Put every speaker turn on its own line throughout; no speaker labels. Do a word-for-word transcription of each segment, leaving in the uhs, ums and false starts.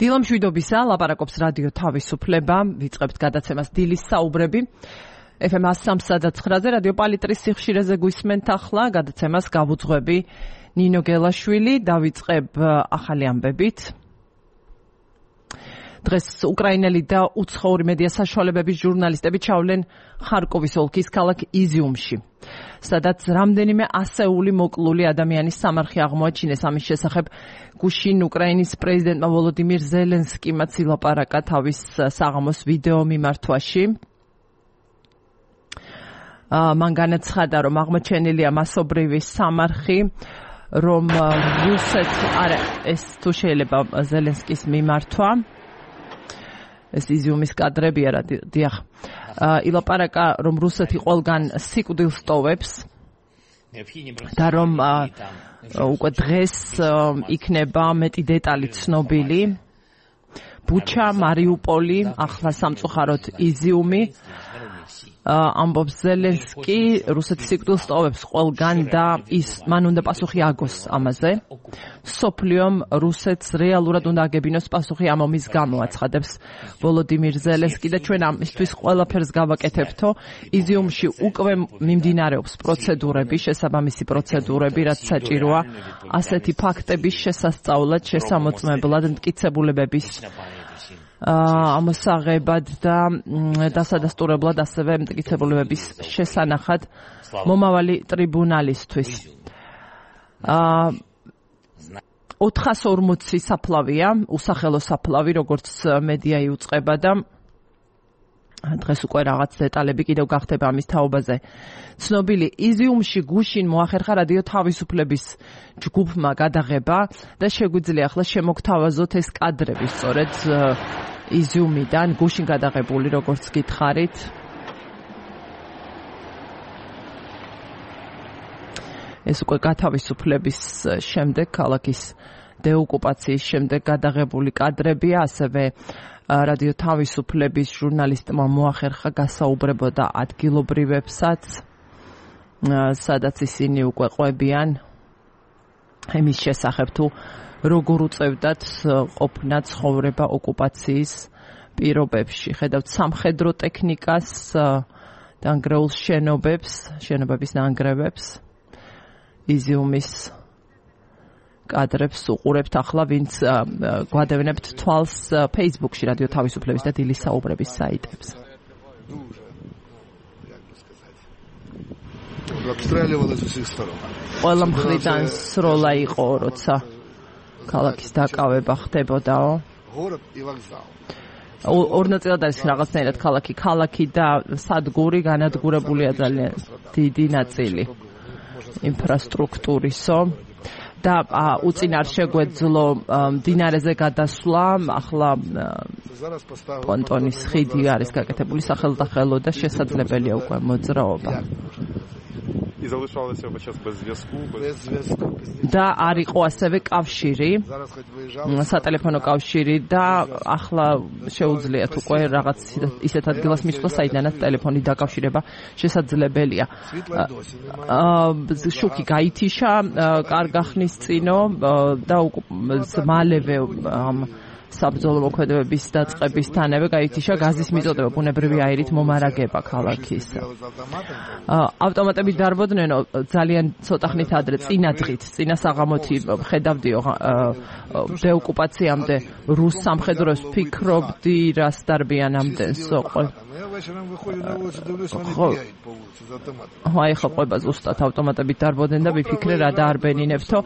დილამშვიდობისა, ლაპარაკობს რადიო თავისუფლება, ვიწყებთ გადაცემას დილის საუბრები. ეფ ემ one oh three point nine-ზე რადიო პალიტრის სიხშირეზე გვისმენთ ახლა გადაცემას გავუძღვები ნინო გელაშვილი, დავიწყებ ახალი ამბებით. დღეს უკრაინელი და უცხოური მედია საშუალებების ჟურნალისტები ჩავლენ ხარკოვის ოლქის ქალაქ იზიუმში, სადაც რამდენიმე ასეული მოკლული ადამიანის სამარხი აღმოაჩინეს. ამის შესახებ გუშინ უკრაინის პრეზიდენტმა ვოლოდიმირ ზელენსკიმ ილაპარაკა თავის საღამოს ვიდეო მიმართვაში. მან განაცხადა, რომ აღმოჩენილია მასობრივი სამარხი, რომ რუსეთ არა ეს თუ შეიძლება ზელენსკის მიმართვა. ეს იზიუმის კადრებია რა დიახ. ილაპარაკა, რომ რუსეთი ყველგან სიკვდილს ტოვებს და რომ უკვე დღეს იქნება მეტი დეტალი ცნობილი. ბუჩა, მარიუპოლი, ახლა სამწუხაროდ იზიუმი. ამბობს ზელენსკი, რუსეთი სიკვდილს ტოვებს ყველგან და ის მან უნდა პასუხი აგოს ამაზე. სოფლიომ რუსეთს რეალურად უნდა აგებინოს პასუხი ამ ომის გამო, აცხადებს ვოლოდიმირ ზელენსკი და ჩვენ ამისთვის ყველაფერს გავაკეთებთო. იზიუმში უკვე მიმდინარეობს პროცედურები, შესაბამისი პროცედურები, რაც საჭიროა ასეთი ფაქტების შესასწავლად, შესამოწმებლად, მტკიცებულებების ამოსაღებად და დასადასტურებლად, ასევე მტკიცებულებების შესანახად მომავალი ტრიბუნალისთვის. ოთხას ორმოცი საფლავია, usახელო საფლავი, როგორც მედია იუწყება და დღეს უკვე რაღაც დეტალები კიდევ გახდება ამის თაობაზე. ცნობილი იზიუმში გუშინ მოახერხა რადიო თავისუფლების ჯგუფმა გადაღება და შეგვიძლია ახლა შემოგთავაზოთ ეს კადრები სწორედ იზიუმიდან გუშინ გადაღებული, როგორც გითხარით. ეს უკვე გათავისუფლების შემდეგ, ქალაქის დეოკუპაციის შემდეგ გადაღებული კადრებია, ასევე რადიო თავისუფლების ჟურნალისტმა მოახერხა გასაუბრებოდა ადგილობრივებსაც, სადაც ისინი უკვე ყვებიან იმის შესახებ, თუ როგორ უწევდათ ყოფნა ცხოვრება ოკუპაციის პირობებში. ხედავთ სამხედრო ტექნიკას, დანგრეულ შენობებს, შენობების ნანგრევებს, იზიუმის კადრებს უყურებთ ახლა, ვინც გვადევნებთ თვალს Facebook-ში რადიო თავისუფლების და დილის საუბრების საიტებს. ყველა მხრიდან სროლა იყო, როცა ქალაქის დაკავება ხდებოდაო. ორ ნაწილად არის რაღაცნაირად ქალაქი, ქალაქი და სადგური, განადგურებულია ძალიან დიდი ნაწილი ინფრასტრუქტურისო. და უწინარ შეგვეძლო მდინარეზე გადასვლა, ახლა პონტონის ხიდი არის გაკეთებული სახელდახელო და შესაძლებელია უკვე მოძრაობა. და არ იყო ასევე კავშირი, სატელეფონო კავშირი და ახლა შეუძლიათ უკვე რაღაც ისეთ ადგილას მისვლა, საიდანაც ტელეფონი დაკავშირება შესაძლებელია. შუქი გაითიშა კარგახნის წინო და მალევე საბრძოლო მოქმედებების დაწყებისთანავე გაითიშა გაზის მიწოდება, ბუნებრივი აირით მომარაგება ქალაქის. ავტომატები დარბოდნენ ძალიან ცოტა ხნით ადრე, წინა დღით, წინა საღამოთი ხედავდიო დეოკუპაციამდე რუს სამხედროს, ფიქრობდი რას დარბიან ამდენს. აი ხო ყვება ზუსტად ავტომატებით დარბოდნენ და ვიფიქრე რა დაარბენინებთო.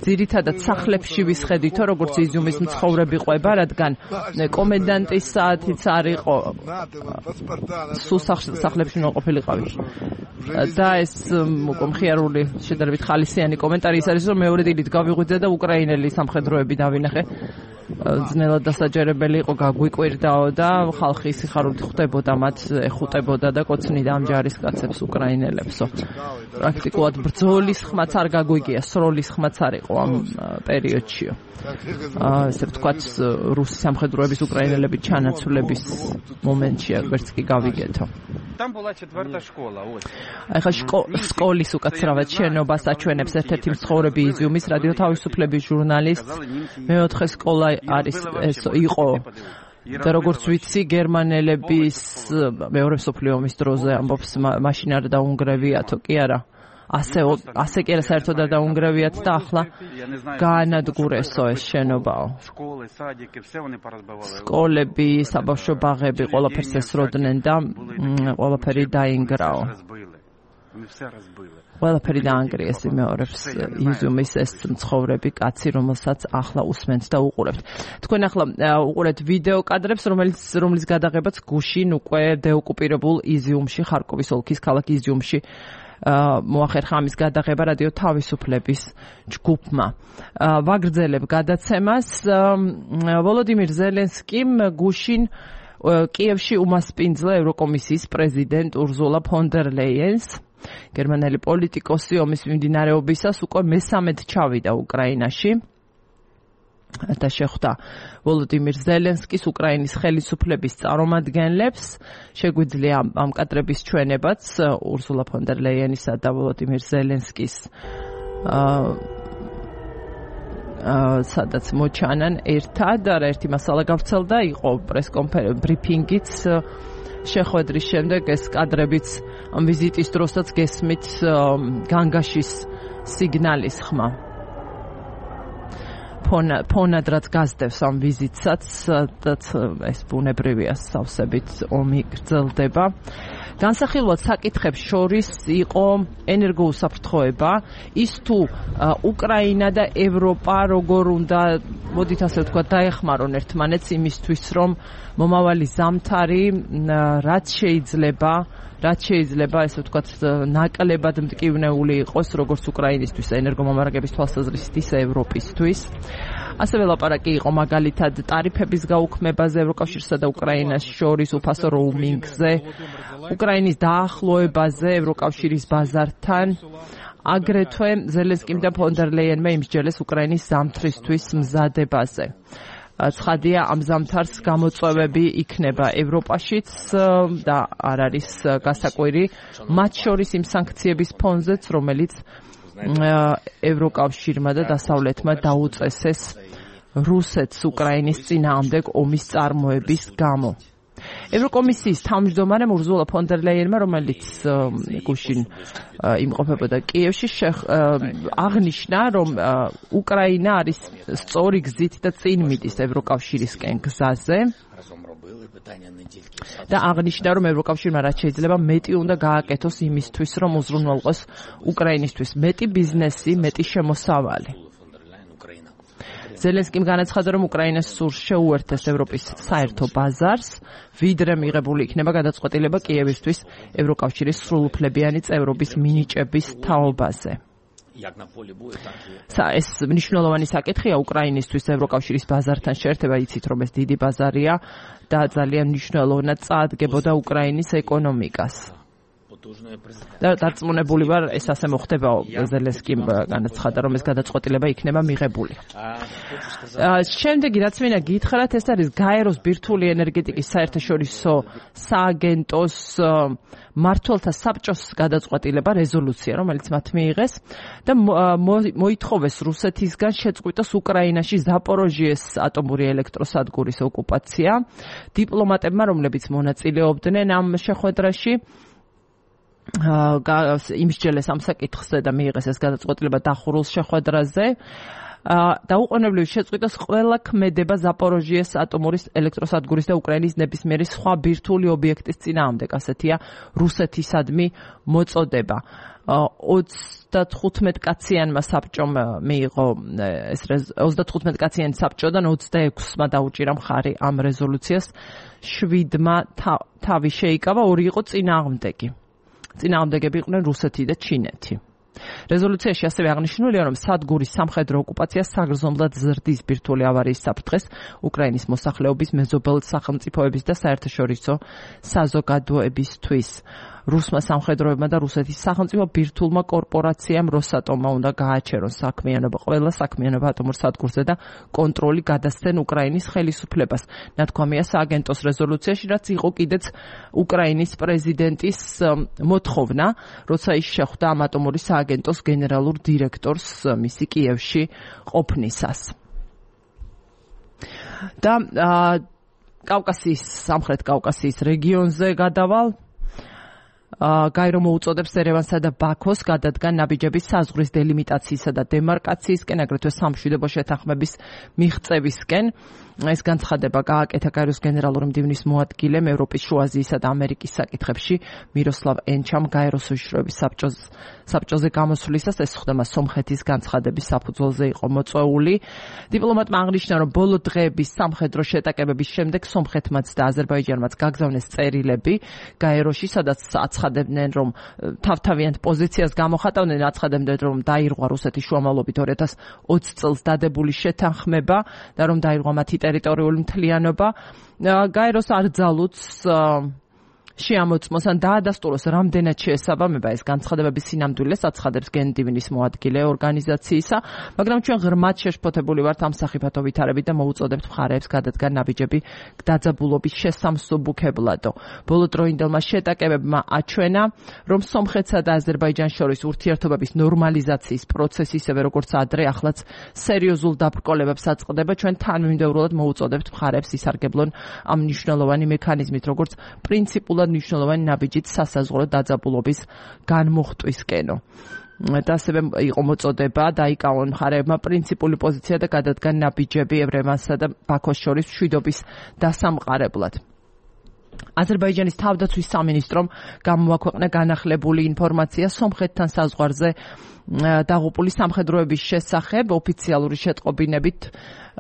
ძირითადად სახლებში ვისხედითო, როგორც იზიუმის მცხოვრები ყვება, რადგან კომენდანტის საათიც არ იყო, სულ სახლებში მოყოფილიყავი. და ეს მხიარული შედარებით ხალისიანი კომენტარი ის არის, რომ მეორე დილით გავიღვიძე და უკრაინელი სამხედროები დავინახე. ძნელად დასაჯერებელი იყო, გაგვიკვირდაო და ხალხი სიხარულით ხვდებოდა მათ, ეხუტებოდა და კოცნიდა ამ ჯარისკაცებს უკრაინელებსო. პრაქტიკულად ბრძოლის ხმაც არ გაგვიგია, სროლის ხმაც არ იყო ამ პერიოდშიო. ესე ვთქვათ, რუსი სამხედროების უკრაინელების ჩანაცვლების მომენტში ვერც კი გავიგეთო.
там была четвертая школа, ось.
აი ხა სკოლის უკაცრავად შენობას აჩვენებს ერთ-ერთი მცხოვრები იზიუმის რადიო თავისუფლების ჟურნალისტს. მეოთხე სკოლა არის ეს იყო და როგორც ვიცი გერმანელების მეორე მსოფლიო ომის დროზე ამბობს მაშინ არ დაუნგრევიათო კი არა ასე ასე კი არა საერთოდ არ დაუნგრევიათ და ახლა გაანადგურესო ეს შენობაო სკოლები საბავშვო ბაღები ყველაფერს ესროდნენ და ყველაფერი დაინგრაო ყველაფერი დაანგრიეს იმეორებს იზიუმის ეს მცხოვრები კაცი რომელსაც ახლა усმენთ და უყურებთ თქვენ ახლა უყურეთ ვიდეო კადრებს რომელიც რომლის გადაღებაც გუშინ უკვე დეოკუპირებულ იზიუმში ხარკოვის ოლქის ქალაქ იზიუმში მოახერხა ამის გადაღება რადიო თავისუფლების ჯგუფმა ვაგრძელებ გადაცემას ვოლოდიმირ ზელენსკიმ გუშინ კიევში უმასპინძლა ევროკომისიის პრეზიდენტ ურზულა ფონ დერ ლეიენს გერმანელი პოლიტიკოსი ომის მიმდინარეობისას უკვე მესამედ ჩავიდა უკრაინაში და შეხვდა ვოლოდიმირ ზელენსკის უკრაინის ხელისუფლების წარმომადგენლებს შეგვიძლია ამ კადრების ჩვენებაც ურზულა ფონ დერ ლეიენისა და ვოლოდიმირ ზელენსკის სადაც მოჩანან ერთად არა ერთი მასალა გავრცელდა იყო პრესკონფერენცია ბრიფინგიც შეხვედრის შემდეგ ეს კადრებიც ამ ვიზიტის დროსაც გესმით განგაშის სიგნალის ხმა ფონად რაც გასდევს ამ ვიზიტსაც ეს ბუნებრივია სავსებით ომი გრძელდება განსახილვად საკითხებს შორის იყო ენერგოუსაფრთხოება ის თუ უკრაინა და ევროპა როგორ უნდა მოდით ასე ვთქვათ დაეხმარონ ერთმანეთს იმისთვის რომ მომავალი ზამთარი რაც შეიძლება რაც შეიძლება ესე ვთქვათ ნაკლებად მტკივნეული იყოს როგორც უკრაინისთვის ენერგომომარაგების თვალსაზრისით ისე ევროპისთვის ასევე ლაპარაკი იყო მაგალითად ტარიფების გაუქმებაზე ევროკავშირსა და უკრაინას შორის უფასო როუმინგზე უკრაინის დაახლოებაზე ევროკავშირის ბაზართან აგრეთვე ზელენსკიმ და ფონ დერ ლეიენმა იმსჯელეს უკრაინის ზამთრისთვის მზადებაზე ცხადია ამ ზამთარს გამოწვევები იქნება ევროპაშიც და არ არის გასაკვირი მათ შორის იმ სანქციების ფონზეც რომელიც ევროკავშირმა და დასავლეთმა დაუწესეს რუსეთს უკრაინის წინააღმდეგ ომის წარმოების გამო ევროკომისიის თავმჯდომარემ ურზულა ფონ დერ ლეიენმა რომელიც გუშინ იმყოფებოდა კიევში აღნიშნა რომ უკრაინა არის სწორი გზით და წინ მიდის ევროკავშირისკენ გზაზე და აღნიშნა რომ ევროკავშირმა რაც შეიძლება მეტი უნდა გააკეთოს იმისთვის რომ უზრუნველყოს უკრაინისთვის მეტი ბიზნესი მეტი შემოსავალი ზელენსკიმ განაცხადა რომ უკრაინას სურს შეუერთდეს ევროპის საერთო ბაზარს ვიდრე მიღებული იქნება გადაწყვეტილება კიევისთვის ევროკავშირის სრულუფლებიანი წევრობის მინიჭების თაობაზე ეს მნიშვნელოვანი საკითხია უკრაინისთვის ევროკავშირის ბაზართან შეერთება იცით რომ ეს დიდი ბაზარია და ძალიან მნიშვნელოვნად წაადგებოდა უკრაინის ეკონომიკას და დარწმუნებული ვარ ეს ასე მოხდებაო ზელენსკიმ განაცხადა რომ ეს გადაწყვეტილება იქნება მიღებული შემდეგი რაც მინდა გითხრათ ეს არის გაეროს ბირთვული ენერგეტიკის საერთაშორისო სააგენტოს მმართველთა საბჭოს გადაწყვეტილება რეზოლუცია რომელიც მათ მიიღეს და მოითხოვეს რუსეთისგან შეწყვიტოს უკრაინაში ზაპოროჟიეს ატომური ელექტროსადგურის ოკუპაცია დიპლომატებმა რომლებიც მონაწილეობდნენ ამ შეხვედრაში იმსჯელეს ამ საკითხზე და მიიღეს ეს გადაწყვეტილება დახურულ შეხვედრაზე დაუყოვნებლივ შეწყვიტოს ყველა ქმედება ზაპოროჟიეს ატომური ელექტროსადგურის და უკრაინის ნებისმიერი სხვა ბირთვული ობიექტის წინააღმდეგ ასეთია რუსეთისადმი მოწოდება ოცდათხუთმეტ კაციანმა საბჭომ მიიღო ეს ოცდათხუთმეტ კაციანი საბჭოდან ოცდაექვსმა დაუჭირა მხარი ამ რეზოლუციას შვიდმა თავი შეიკავა ორი იყო წინააღმდეგი წინააღმდეგები იყვნენ რუსეთი და ჩინეთი რეზოლუციაში ასევე აღნიშნულია რომ სადგურის სამხედრო ოკუპაცია საგრძნობლად ზრდის ბირთვული ავარიის საფრთხეს უკრაინის მოსახლეობის მეზობელ სახელმწიფოების და საერთაშორისო საზოგადოებისთვის რუსმა სამხედროებმა და რუსეთის სახელმწიფო ბირთვულმა კორპორაციამ როსატომმა უნდა გააჩერონ საქმიანობა ყველა საქმიანობა ატომურ სადგურზე და კონტროლი გადასცენ უკრაინის ხელისუფლებას. ნათქვამია სააგენტოს რეზოლუციაში, რაც იყო კიდეც უკრაინის პრეზიდენტის მოთხოვნა, როცა ის შეხვდა ამ ატომური სააგენტოს გენერალურ დირექტორს მისი კიევში ყოფნისას. და კავკასიის, სამხრეთ კავკასიის რეგიონზე გადავალ. გაირო მოუწოდებს ერევანსა და ბაქოს გადადგან ნაბიჯების საზღვრის დელიმიტაციისა და დემარკაციისკენ, აგრეთვე სამშვიდობო შეთანხმების მიღწევისკენ. ეს განცხადება გააკეთა გაიროს გენერალური მდივნის მოადგილემ ევროპის, შუა აზიისა და ამერიკის საკითხებში მიროსლავ ენჩამ გაიროს უშიშროების საბჭოზე გამოსვლისას. ეს ხდება სომხეთის განცხადების საფუძველზე იყო მოწვეული. დიპლომატმა აღნიშნა, რომ ბოლო დღეების სამხედრო შეტაკებების შემდეგ სომხეთმაც და აზერბაიჯანმაც გაგზავნეს წერილები გაიროში, სადაც აცხადებდნენ, რომ თავთავიანთ პოზიციას გამოხატავდნენ, აცხადებდნენ, რომ დაირღვა რუსეთის შუამავლობით ორი ათას ოცი წელს დადებული შეთანხმება და რომ დაირღვა მათი ტერიტორიული მთლიანობა. გაიროს არ ძალუც შეამოწმოს ან დაადასტუროს რამდენად შეესაბამება ეს განცხადებების სინამდვილეს, აცხადებს გენდივნის მოადგილე ორგანიზაციისა, მაგრამ ჩვენ ღრმად შეშფოთებული ვართ ამ სახიფათო ვითარებით და მოუწოდებთ მხარეებს გადადგან ნაბიჯები დაძაბულობის შესამსუბუქებლადო. ბოლოდროინდელმა შეტაკებებმა აჩვენა, რომ სომხეთსა და აზერბაიჯანს შორის ურთიერთობების ნორმალიზაციის პროცესი, ისევე როგორც ადრე, ახლაც სერიოზულ დაბრკოლებებს აწყდება. ჩვენ თანმიმდევრულად მოუწოდებთ მხარეებს ისარგებლონ ამ მნიშვნელოვანი მექანიზმით, როგორც პრინციპულად მნიშვნელოვანი ნაბიჯით სასაზღვრო დაძაბულობის განმუხტვისკენო. და ასევე იყო მოწოდება დაიკავონ მხარეებმა პრინციპული პოზიცია და გადადგან ნაბიჯები ერევანსა და ბაქოს შორის მშვიდობის დასამყარებლად. აზერბაიჯანის თავდაცვის სამინისტრომ გამოაქვეყნა განახლებული ინფორმაცია სომხეთთან საზღვარზე დაღუპული სამხედროების შესახებ. ოფიციალური შეტყობინებით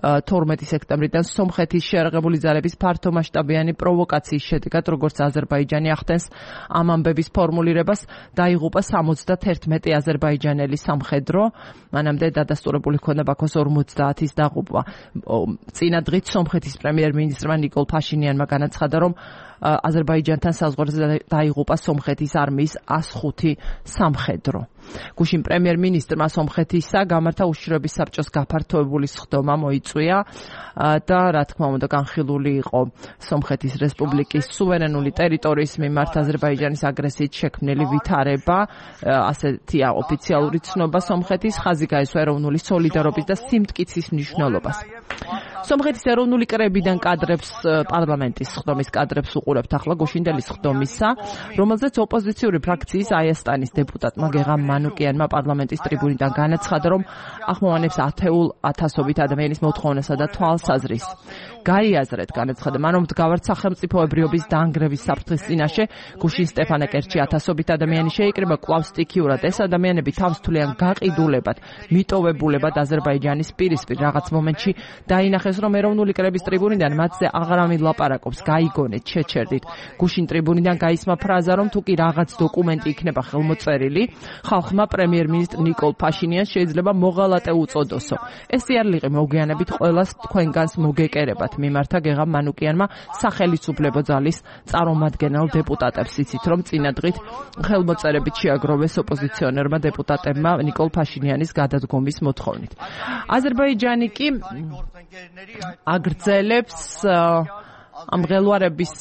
თორმეტი სექტემბრიდან სომხეთის შეიარაღებული ძალების ფართომასშტაბიანი პროვოკაციის შედეგად, როგორც აზერბაიჯანი ახდენს ამ ამბების ფორმულირებას, დაიღუპა სამოცდაერთი აზერბაიჯანელი სამხედრო. მანამდე დადასტურებული ჰქონდა ბაქოს ორმოცდაათის დაღუპვა. წინა დღით სომხეთის პრემიერ-მინისტრმა ნიკოლ ფაშინიანმა განაცხადა, რომ აზერბაიჯანთან საზღვარზე დაიღუპა სომხეთის არმიის ას ხუთი სამხედრო. გუშინ პრემიერ-მინისტრმა სომხეთისა გამართა უშიშროების საბჭოს გაფართოებული სხდომა მოიწვია და რა თქმა უნდა განხილული იყო სომხეთის რესპუბლიკის სუვერენული ტერიტორიის მიმართ აზერბაიჯანის აგრესიით შექმნილი ვითარება. ასეთია ოფიციალური ცნობა სომხეთის, ხაზი გაესვა ეროვნული სოლიდარობის და სიმტკიცის მნიშვნელობას. სომხეთის ეროვნული კრებიდან კადრებს, პარლამენტის სხდომის კადრებს უყურებთ ახლა გუშინდელი სხდომისა, რომელზეც ოპოზიციური ფრაქციის აიასტანის დეპუტატმა გეღამ მანუკიანმა პარლამენტის ტრიბუნიდან განაცხადა, რომ ახმოვანებს ათეულ ათასობით ადამიანის მოთხოვნასა და თვალსაზრისს. გაიაზრეთ, განაცხადა მან, რომ მდგავართ სახელმწიფოებრიობის დაანგრევის საფრთხის წინაშე გუშინ სტეფანაკერტში ათასობით ადამიანი შეიკრიბა კვლავ სტიქიურად. ეს ადამიანები თავს თვლიან გაყიდულებად, მიტოვებულებად აზერბაიჯანის პირისპირ. რაღაც მომენტში დაინახეს, რომ ეროვნული კრების ტრიბუნიდან მათზე აღარავინ ლაპარაკობს, გაიგონეთ, შეჩერდით. გუშინ ტრიბუნიდან გაისმა ფრაზა, რომ თუ კი რაღაც დოკუმენტი იქნება ხელმოწერილი, ხალხმა პრემიერ-მინისტრ ნიკოლ ფაშინიანს შეიძლება მოღალატე უწოდოსო. ეს სიარლიყი მოგვიანებით ყველას თქვენგანს მოგეკერებათ. მიმართა გეღამ მანუკიანმა სახელმწიფო ძალის წარმომადგენელ დეპუტატებს, იცით რომ წინა დღით ხელმოწერებით შეაგროვეს ოპოზიციონერმა დეპუტატებმა ნიკოლ ფაშინიანის გადადგომის მოთხოვნით. აზერბაიჯანი კი აგრძელებს ამ ღელვარების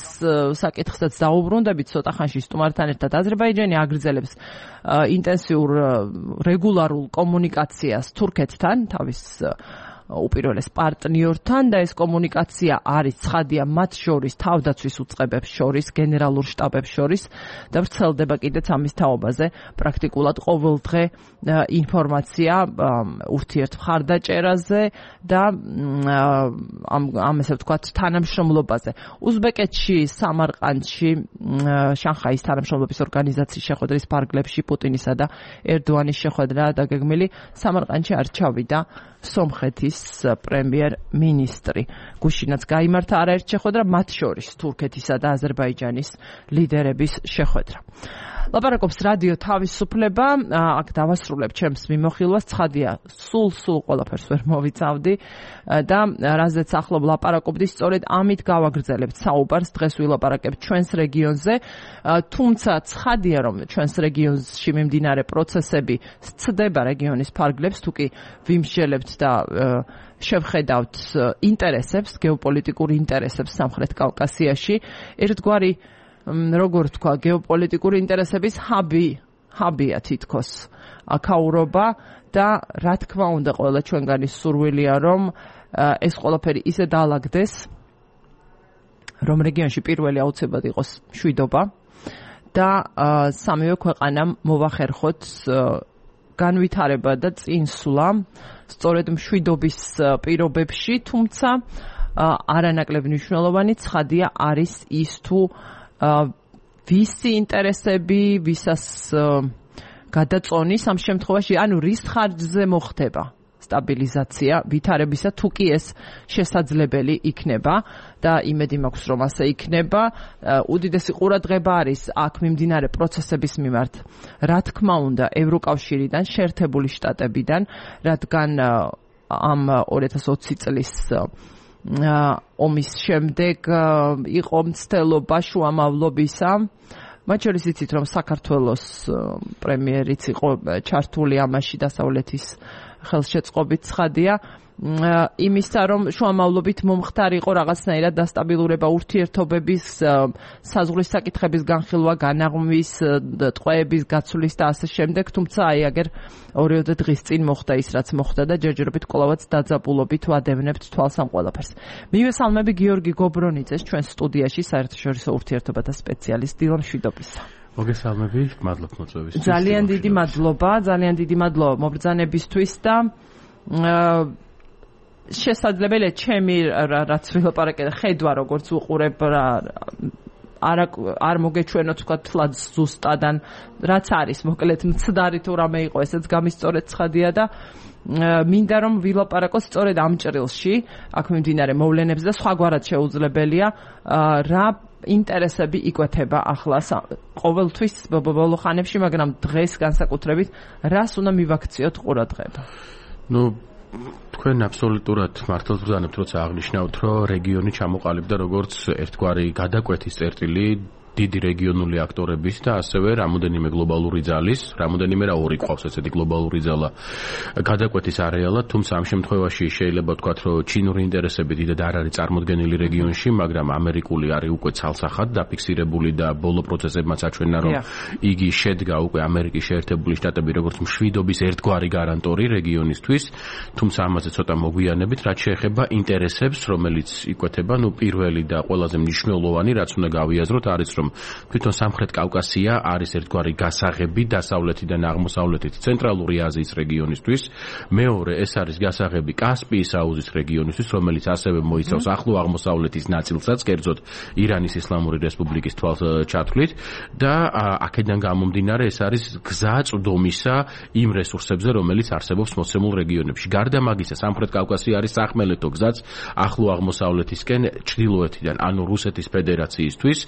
საკითხსაც დაუბრუნდებით ცოტა ხანში სტუმართან ერთად. აზერბაიჯანი აგრძელებს ინტენსიურ რეგულარულ კომუნიკაციას თურქეთთან, თავის უპირველეს პარტნიორთან და ეს კომუნიკაცია არის ცხადია მათ შორის, თავდაცვის უწყებებს შორის, გენერალურ შტაბებს შორის და ვრცელდება კიდეც ამის თაობაზე პრაქტიკულად ყოველდღე ინფორმაცია ურთიერთ მხარდაჭერაზე და ამ ამ ესე ვთქვათ თანამშრომლობაზე. უზბეკეთში, სამარყანდში, შანხაის თანამშრომლობის ორგანიზაციის შეხვედრის ფარგლებში პუტინისა და ერდოანის შეხვედრა დაგეგმილი. სამარყანდში არ ჩავიდა სომხეთის პრემიერ-მინისტრი. გუშინაც გაიმართა არაერთი შეხვედრა, მათ შორის თურქეთისა და აზერბაიჯანის ლიდერების შეხვედრა. ლაპარაკობს რადიო თავისუფლება, აქ დავასრულებ ჩემს მიმოხილვას, ცხადია, სულ სულ ყველაფერს ვერ მოვიცავდი და რაზეც ახლობ ლაპარაკობდი, სწორედ ამით გავაგრძელებთ საუბარს, დღეს ვილაპარაკებთ ჩვენს რეგიონზე, თუმცა ცხადია, რომ ჩვენს რეგიონში მიმდინარე პროცესები სცდება რეგიონის ფარგლებს, თუკი ვიმსჯელებთ და შევხედავთ ინტერესებს, გეოპოლიტიკურ ინტერესებს სამხრეთ კავკასიაში, ერთგვარი როგორ თქვა, გეოპოლიტიკური ინტერესების ჰაბი, ჰაბია თითქოს აქაურობა და რა თქმა უნდა ყველა ჩვენგანის სურვილია, რომ ეს ყველაფერი ისე დაალაგდეს, რომ რეგიონში პირველი აუცილებლად იყოს მშვიდობა და სამივე ქვეყანამ მოვახერხოთ განვითარება და წინსვლა სწორედ მშვიდობის პირობებში, თუმცა არანაკლებ მნიშვნელოვანი ცხადია არის ის თუ ვისი ინტერესები, ვისას გადაწონის ამ შემთხვევაში, ანუ რის ხარჯზე მოხდება სტაბილიზაცია ვითარებისა, თუ კი ეს შესაძლებელი იქნება და იმედი მაქვს, რომ ასე იქნება. უდიდესი ყურადღება არის აქ მიმდინარე პროცესების მიმართ, რა თქმა უნდა, ევროკავშირიდან, შეერთებული შტატებიდან, რადგან ამ ორი ათას ოცი წლის ომის შემდეგ იყო მცდელობა შუამავლობისა. მათ შორის იცით, რომ საქართველოს პრემიერიც იყო ჩართული ამაში დასავლეთის ხელშეწყობით ცხადია, იმისა, რომ შუამავლობით მომხდარ იყო რაღაცნაირად დასტაბილურება ურთიერთობების, საზღვრის საკითხების განხილვა, განაღმვის, ტყვეების გაცვლის და ასე შემდეგ, თუმცა აი აგერ ორიოდე დღის წინ მოხდა ის, რაც მოხდა და ჯერჯერობით კვლავაც დაძაბულობით ვადევნებთ თვალს ამ ყველაფერს. მივესალმები გიორგი გობრონიძეს ჩვენ სტუდიაში, საერთაშორისო ურთიერთობათა სპეციალისტ. დილა მშვიდობისა.
მოგესალმები, მადლობ მოწვევისთვის.
ძალიან დიდი მადლობა, ძალიან დიდი მადლობა მობრძანებისთვის და შესაძლებელია ჩემი რაც ვილაპარაკე ხედვა როგორც უყურებ არ არ მოგეჩვენო თქვა თლად ზუსტადან რაც არის მოკლედ მცდარი თუ რამე იყო ესეც გამისწორეთ ცხადია და მინდა რომ ვილაპარაკოთ სწორედ ამ ჭრილში აქ მიმდინარე მოვლენებს და სხვაგვარად შეუძლებელია რა ინტერესები იკვეთება ახლა ყოველთვის ბოლო ხანებში, მაგრამ დღეს განსაკუთრებით რას უნდა მივაქციოთ ყურადღება?
ნუ თქვენ აბსოლუტურად მართლაც ვზანებთ, როცა აღნიშნავთ, რომ რეგიონი ჩამოყალიბდა როგორც ერთგვარი გადაკვეთის წერტილი დიდი რეგიონული აქტორების და ასევე რამოდენიმე გლობალური ძალის, რამოდენიმე რა ორი ყავს ესეთი გლობალური ძალა გადაკვეთის არეალად, თუმცა ამ შემთხვევაში შეიძლება ვთქვათ, რომ ჩინური ინტერესები დიდად არ არის წარმოდგენილი რეგიონში, მაგრამ ამერიკული არის უკვე ცალსახად დაფიქსირებული და ბოლო პროცესებმაც აჩვენა, რომ იგი შედგა უკვე ამერიკის შეერთებული შტატები როგორც მშვიდობის ერთგვარი გარანტორი რეგიონისთვის, თუმცა ამაზე ცოტა მოგვიანებით, რაც შეეხება ინტერესებს, რომელიც იკვეთება, ნუ პირველი და ყველაზე მნიშვნელოვანი, რაც უნდა გავიაზროთ, არის რომ თვითონ სამხრეთ კავკასია არის ერთგვარი გასაღები დასავლეთიდან აღმოსავლეთით ცენტრალური აზიის რეგიონისთვის. მეორე, ეს არის გასაღები კასპიის აუზის რეგიონისთვის, რომელიც ასევე მოიცავს ახლო აღმოსავლეთის ნაწილსაც, კერძოდ ირანის ისლამური რესპუბლიკის თვალსაჩათვლით და აქედან გამომდინარე ეს არის გზა წვდომისა იმ რესურსებზე, რომელიც არსებობს მოცემულ რეგიონებში. გარდა მაგისა, სამხრეთ კავკასია არის სახმელეთო გზაც ახლო აღმოსავლეთისკენ ჩრდილოეთიდან, ანუ რუსეთის ფედერაციისთვის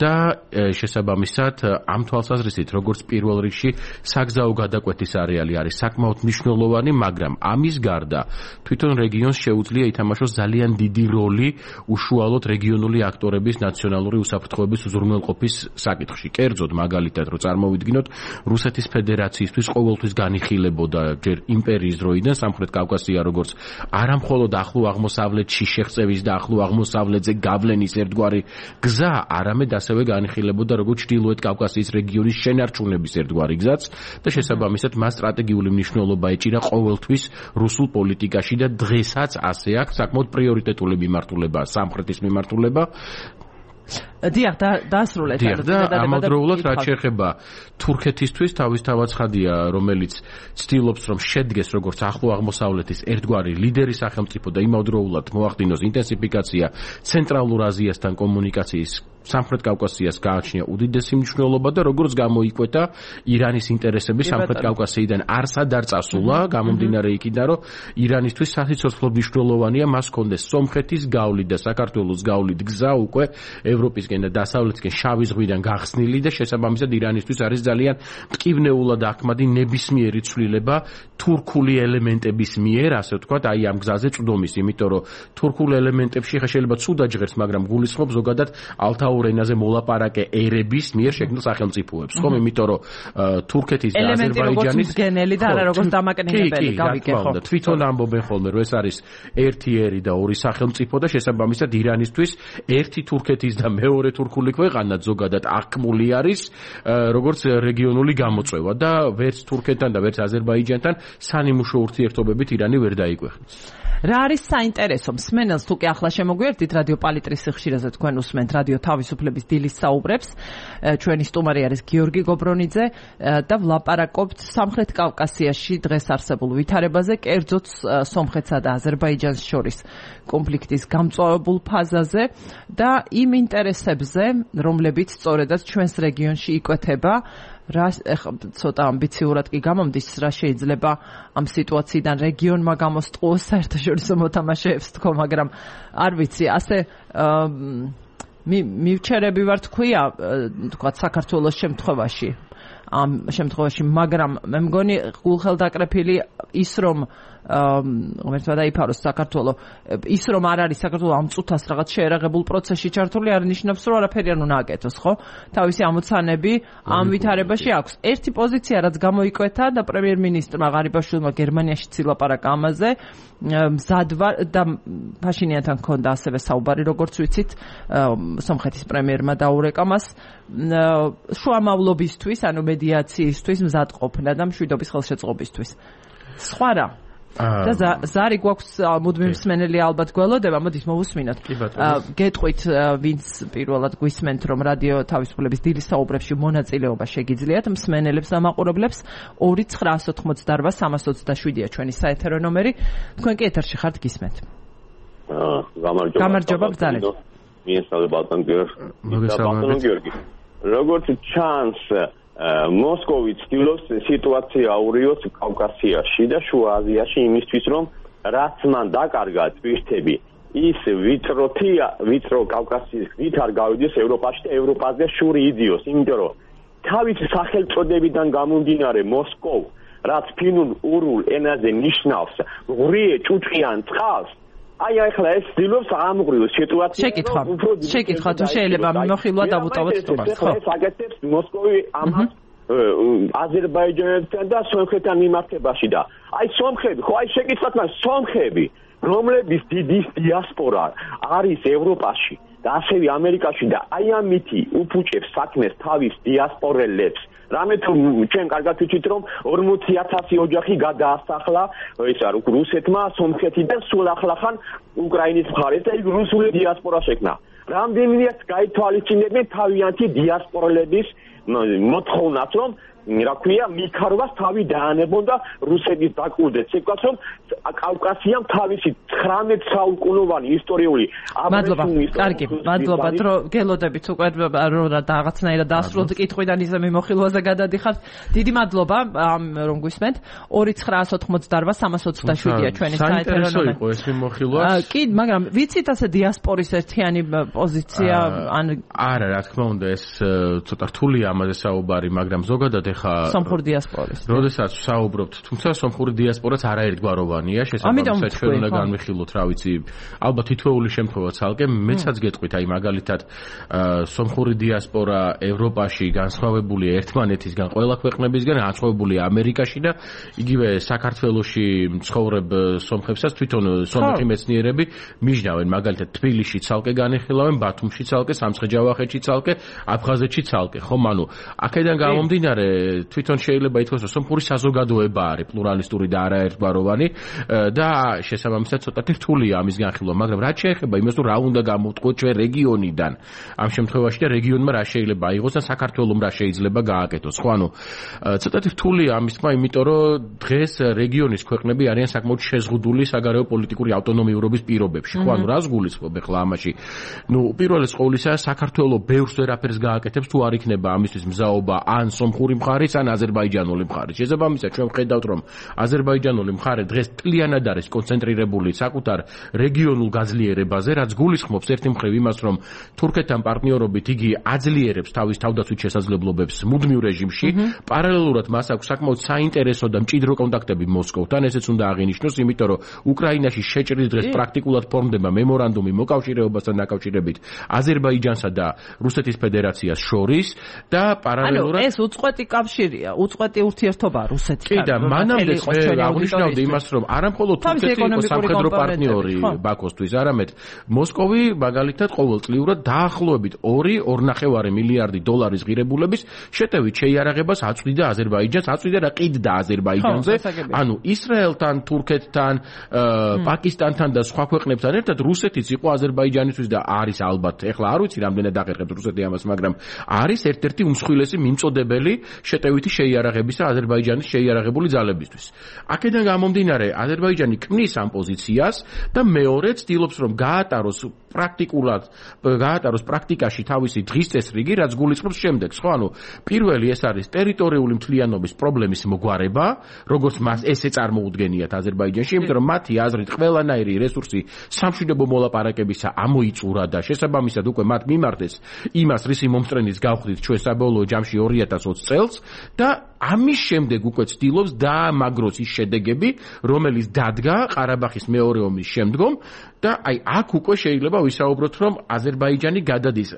და შესაბამისად ამ თვალსაზრისით როგორც პირველ რიგში საგზაო გადაკვეთის არეალი არის საკმაოდ მნიშვნელოვანი, მაგრამ ამის გარდა თვითონ რეგიონს შეუძლია ითამაშოს ძალიან დიდი როლი უშუალოდ რეგიონული აქტორების ნაციონალური უსაფრთხოების უზრუნველყოფის საკითხში. კერძოდ მაგალითად რო წარმოვიდგინოთ, რუსეთის ფედერაციისთვის ყოველთვის განიხილებოდა ჯერ იმპერიის დროიდან სამხრეთ კავკასია როგორც არამხოლოდ ახლო აღმოსავლეთში შეღწევის და ახლო აღმოსავლეთზე გავლენის ერთგვარი გზა, არამედ ასევე განიხილებოდა როგორც ჩრდილოეთ კავკასიის რეგიონის შენარჩუნების ერთგვარი გზაც და შესაბამისად მას სტრატეგიული მნიშვნელობა ეჭირა ყოველთვის რუსულ პოლიტიკაში და დღესაც ასე აქვს საკმაოდ პრიორიტეტული მიმართულება სამხრეთის მიმართულება.
დიახ, დაასრულეთ.
დიახ, და ამავდროულად რაც შეეხება თურქეთისთვის თავისთავად ცხადია, რომელიც ცდილობს რომ შედგეს როგორც ახლო აღმოსავლეთის ერთგვარი ლიდერი სახელმწიფო და იმავდროულად მოახდინოს ინტენსიფიკაცია ცენტრალურ აზიასთან კომუნიკაციის სამხრეთ კავკასიას გააჩნია უდიდესი მნიშვნელობა და როგორც გამოიკვეთა ირანის ინტერესები სამხრეთ კავკასიიდან არსად არ წასულა, გამომდინარე იქიდან, რომ ირანისთვის სასიცოცხლო მნიშვნელოვანია მას ჰქონდეს სომხეთის გავლით და საქართველოს გავლით გზა უკვე ევროპისკენ და დასავლეთისკენ შავი ზღვიდან გახსნილი და შესაბამისად ირანისთვის არის ძალიან მტკივნეულად აქმადი ნებისმიერი ცვლილება თურქული ელემენტების მიერ, ასე ვთქვათ, აი ამ გზაზე წვდომის, იმიტომ რომ თურქულ ელემენტებში შეიძლება ცუდად ჟღერს, მაგრამ გულისხმობს ზოგადად ალთაურ ენაზე მოლაპარაკე ერების მიერ შექმნილ სახელმწიფოებს, ხომ? იმიტომ რომ თურქეთის და აზერბაიჯანის
გენელი და არა როგორც დამაკნინებელი, გავიგე ხო?
თვითონ ამბობენ ხოლმე, რომ ეს არის ერთი ერი და ორი სახელმწიფო და შესაბამისად ირანისთვის ერთი თურქეთის და მეორე თურქული ქვეყანა ზოგადად აღქმული არის როგორც რეგიონული გამოწვევა და ვერც თურქეთთან და ვერც აზერბაიჯანთან სანიმუშო ურთიერთობებით ირანი ვერ დაიკვეხნეს.
რა არის საინტერესო მსმენელს თუ კი ახლა შემოგვიერთდით რადიო პალიტრის სიხშირეზე თქვენ უსმენთ რადიო თავისუფლების დილის საუბრებს ჩვენი სტუმარი არის გიორგი გობრონიძე და ვლაპარაკობთ სამხრეთ კავკასიაში დღეს არსებულ ვითარებაზე კერძოდ სომხეთსა და აზერბაიჯანს შორის კონფლიქტის გამწვავებულ ფაზაზე და იმ ინტერესებზე რომლებიც სწორედაც ჩვენს რეგიონში იკვეთება რა ცოტა ამბიციურად კი გამომდის რა შეიძლება ამ სიტუაციიდან რეგიონმა გამოსტყუოს საერთაშორისო მოთამაშეებს თქო მაგრამ არ ვიცი ასე მივჩერები ვარ თქვია თქვა საქართველოს შემთხვევაში ამ შემთხვევაში მაგრამ მე მგონი გულხელდაკრეფილი ის რომ ღმერთმა დაიფაროს საქართველო ის რომ არ არის საქართველო ამ წუთას რაღაც შეერაღებულ პროცესში ჩართული არ ნიშნავს რომ არაფერი არ უნდა აკეთოს ხო თავისი ამოცანები ამ ვითარებაში აქვს ერთი პოზიცია რაც გამოიკვეთა და პრემიერ-მინისტრმა ღარიბაშვილმა გერმანიაში ცილაპარაკა ამაზე მზადვარ და ფაშინიანთან ჰქონდა ასევე საუბარი როგორც ვიცით სომხეთის პრემიერმა დაურეკა მას შუამავლობისთვის ანუ მედიაციისთვის მზადყოფნა და მშვიდობის ხელშეწყობისთვის სხვა რა და ზარი გვაქვს მუდმივი მსმენელი ალბათ გველოდება მოდით მოვუსმინოთ გეტყვით ვინც პირველად გვისმენთ რომ რადიო თავისუფლების დილის საუბრებში მონაწილეობა შეგიძლიათ მსმენელებს და მაყურებლებს ორი ცხრაას ოთხმოცდაორვა სამას ოცდაშვიდია ჩვენი საეთერო ნომერი თქვენ კი ეთერში ხართ გისმენთ გამარჯობა ბრძანეთ
მიესალმებით ბატონ გიორგი როგორც ჩანს მოსკოვი ცდილობს სიტუაცია აურიოს კავკასიაში და შუა აზიაში იმისთვის რომ რაც მან დაკარგა ტვირთები ის ვიწროთი ვიწრო კავკასიის ვით არ გავიდეს ევროპაში და ევროპაზე შური იდიოს იმიტომ რომ თავის სახელწოდებიდან გამომდინარე მოსკოვ რაც ფინურ ურულ ენაზე ნიშნავს ღრიე ჭუჭყიან წყალს აი ახლა ეს ცდილობს ამღრიოს სიტუაცია
შეკითხვა შეკითხვა თუ შეიძლება მიმოხილვა დავუტოვოთ თუმას ხო
ეს აკეთებს მოსკოვი ამას აზერბაიჯანთან და სომხეთთან მიმართებაში და აი სომხები ხო აი შეკითხვათ მას სომხები რომლების დიდი დიასპორა არის ევროპაში და ასევე ამერიკაში და აი ამითი უფუჭებს საქმეს თავის დიასპორელებს რამე თუ ჩვენ კარგად ვიცით რომ ორმოცი ათასი ოჯახი გადაასახლა ეს არ რუსეთმა სომხეთიდან სულ ახლახან უკრაინის მხარეს და იქ რუსული დიასპორა შექმნა რამდენიაც გაითვალისწინებენ თავიანთი დიასპორელების მოთხოვნას რომ რა ქვია მიქარვას თავი დაანებონ და რუსეთის დაკვირდეთ სიტყვას რომ კავკასიამ თავისი ცხრამეტ საუკუნოვანი ისტორიული
მადლობა კარგი მადლობა რომ გელოდებით უკვე რომ რაღაცნაირად დაასრულოთ კითხვიდან ისე მიმოხილვაზე გადადიხართ დიდი მადლობა რომ გვისმენთ ორი ცხრაას ოთხმოცდაორვა სამას ოცდაშვიდია ჩვენი საეთერო ნომერი
იყო ეს მიმოხილვა
კი მაგრამ ვიცით ასე დიასპორის ერთიანი პოზიცია ან
არა რა თქმა უნდა ეს ცოტა რთულია ამაზე საუბარი მაგრამ ზოგადად ეხა
სომხური დიასპორის.
როდესაც საუბრობთ, თუმცა სომხური დიასპორაც არაერთგვაროვანია, შესაბამისად ჩვენ უნდა განვიხილოთ, რა ვიცი, ალბათ თითოეული შემთხვევა ცალკე, მეცაც გეტყვით, აი მაგალითად, სომხური დიასპორა ევროპაში განსხვავებულია ერთმანეთისგან, ყველა ქვეყნებისგან, განსხვავებულია ამერიკაში და იგივე საქართველოში მცხოვრებ სომხებსაც თვითონ სომხი მეცნიერები მიჯნავენ, მაგალითად თბილისში ცალკე განიხილავენ, ბათუმში ცალკე, სამცხე-ჯავახეთში ცალკე, აფხაზეთში ცალკე, ხომ, ანუ აქედან გამომდინარე თვითონ შეიძლება ითქვას, რომ სომხური საზოგადოება არის პლურალისტური და არაერთგვაროვანი და შესაბამისად ცოტათი რთულია ამის განხილვა, მაგრამ რაც შეეხება იმას, რომ რა უნდა გამოვთქვათ ჩვენ რეგიონიდან, ამ შემთხვევაში და რეგიონმა რა შეიძლება აიღოს და საქართველოს რა შეიძლება გააკეთოს, ხო, ანუ ცოტათი რთულია ამის თქმა, იმიტომ რომ დღეს რეგიონის ქვეყნები არიან საკმაოდ შეზღუდული საგარეო პოლიტიკური ავტონომიურობის პირობებში, ხო, ანუ რას გულისხმობ ახლა ამაში? ნუ პირველის ყოვლისა საქართველოს ბევრს ვერაფერს გააკეთებს თუ არ იქნება ამისთვის მზაობა ან სომხური მხარის ან აზერბაიჯანული მხარის. შესაბამისად ჩვენ ვხედავთ რომ აზერბაიჯანული მხარე დღეს მთლიანად არის კონცენტრირებული საკუთარ რეგიონულ გაძლიერებაზე, რაც გულისხმობს ერთი მხრივ იმას, რომ თურქეთთან პარტნიორობით იგი აძლიერებს თავის თავდაცვით შესაძლებლობებს მუდმივ რეჟიმში, პარალელურად მას აქვს საკმაოდ საინტერესო და მჭიდრო კონტაქტები მოსკოვთან, ესეც უნდა აღინიშნოს, იმიტომ რომ უკრაინაში შეჭრის დღეს პრაქტიკულად ფორმდება მემორანდუმი მოკავშირეობასთან დაკავშირებით აზერბაიჯანსა და რუსეთის ფედერაციას შორის და პარალელურად
ანუ ეს უწყვეტი კავშირია, უწყვეტი ურთიერთობა რუსეთთან.
კი და მანამდე აღნიშნავდი იმას, რომ არამხოლოდ თურქეთი იყო სამხედრო პარტნიორი ბაქოსთვის, არამედ მოსკოვი მაგალითად ყოველწლიურად დაახლოებით ორი ორნახევარი მილიარდი დოლარის ღირებულების შეტევით შეიარაღებას აწვდიდა აზერბაიჯანს, აწვდიდა და ყიდდა აზერბაიჯანზე. ანუ ისრაელთან, თურქეთთან, პაკისტანთან და სხვა ქვეყნებთან ერთად რუსეთიც იყო აზერბაიჯანისთვის და არის ალბათ, ეხლა არ ვიცი რამდენად აღერხებს რუსეთი ამას, მაგრამ არის ერთ-ერთი უმსხვილესი მიმწოდებელი შეტევითი შეიარაღებისა აზერბაიჯანის შეიარაღებული ძალებისთვის. აქედან გამომდინარე, აზერბაიჯანი ქმნის ამ პოზიციას და მეორე ცდილობს რომ გაატაროს პრაქტიკულად გაატაროს პრაქტიკაში თავისი დღის წესრიგი, რაც გულისხმობს შემდეგს, ხო, ანუ პირველი ეს არის ტერიტორიული მთლიანობის პრობლემის მოგვარება, როგორც მას ესე წარმოუდგენიათ აზერბაიჯანში, იმიტომ რომ მათი აზრით ყველანაირი რესურსი სამშვიდობო მოლაპარაკებისა ამოიწურა და შესაბამისად უკვე მათ მიმართეს იმას, რისი მომსწრენიც გავხდით ჩვენ საბოლოო ჯამში ორი ათას ოცი წელს და ამის შემდეგ უკვე ცდილობს დაამაგროს ის შედეგები, რომელიც დადგა ყარაბაღის მეორე ომის შემდგომ და აი აქ უკვე შეიძლება ვისაუბროთ, რომ აზერბაიჯანი გადადის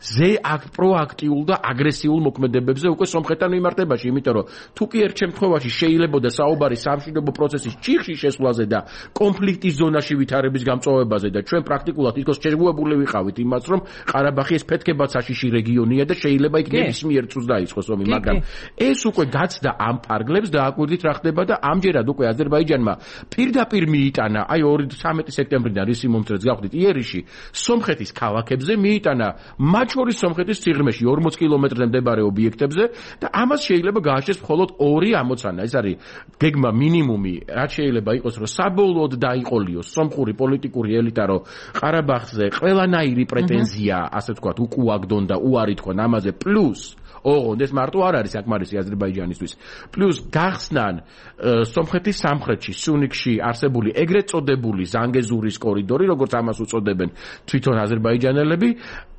ზე პროაქტიულ და აგრესიულ მოქმედებებზე უკვე სომხეთთან მიმართებაში, იმიტომ რომ თუ კი ერთ შემთხვევაში შეიძლებოდა საუბარი სამშვიდობო პროცესის ჭიხში შესვლაზე და კონფლიქტის ზონაში ვითარების გამწვავებაზე და ჩვენ პრაქტიკულად თითქოს შეგუებული ვიყავით იმას, რომ ყარაბაღი ეს ფეთქებად საშიში რეგიონია და შეიძლება იქ ნებისმიერ წუთს დაიწყოს ომი, მაგრამ ეს უკვე გაცდა ამ ფარგლებს და აკვირდით რა ხდება და ამჯერად უკვე აზერბაიჯანმა პირდაპირ მიიტანა, აი ორი ცხრამეტი სექტემბრიდან ისი მომწრეც გავხდით იერიში, სომხეთის ქალაქებზე მიიტანა, მათ შორის სომხეთის სიღრმეში ორმოც კილომეტრზე მდებარე ობიექტებზე და ამას შეიძლება გააჩნდეს მხოლოდ ორი ამოცანა. ეს არის გეგმა მინიმუმი, რაც შეიძლება იყოს, რომ საბოლოოდ დაიყოლიოს სომხური პოლიტიკური ელიტა, რომ ყარაბაღზე ყველანაირი პრეტენზია, ასე ვთქვათ, უკუაგდონ და უარი თქვან ამაზე, პლუს ოღონდ ეს მარტო არ არის საკმარისი აზერბაიჯანისთვის. პლუს გახსნან სომხეთის სამხრეთში, სუნიქში არსებული ეგრეთ წოდებული ზანგეზურის კორიდორი, როგორც ამას უწოდებენ თვითონ აზერბაიჯანელები,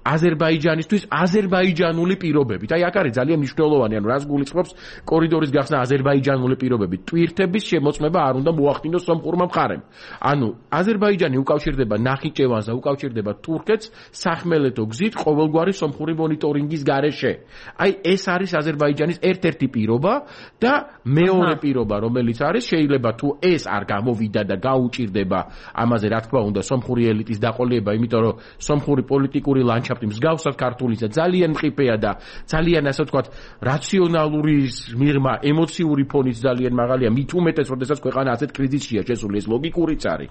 აზერბაიჯანისთვის აზერბაიჯანული პირობებით. აი აქ არის ძალიან მნიშვნელოვანი, ანუ რას გულისხმობს კორიდორის გახსნა აზერბაიჯანული პირობებით. ტვირთების შემოწმება არ უნდა მოახდინოს სომხურმა მხარემ. ანუ აზერბაიჯანი უკავშირდება ნახიჩევანს და უკავშირდება თურქეთს სახმელეთო გზით ყოველგვარი სომხური მონიტორინგის გარეშე. აი ეს არის აზერბაიჯანის ერთ-ერთი პირობა და მეორე პირობა, რომელიც არის, შეიძლება თუ ეს არ გამოვიდა და გაუჭირდება ამაზე რა თქმა უნდა სომხური ელიტის დაყოლება, იმიტომ რომ სომხური პოლიტიკური ლანდშაფტი მსგავსად ქართულისა ძალიან მყიფეა და ძალიან ასე ვთქვათ რაციონალური მიღმა, ემოციური ფონიც ძალიან მაღალია, მით უმეტეს, როდესაც ქვეყანა ასეთ კრიზისშია შესული, ეს ლოგიკურიც არის.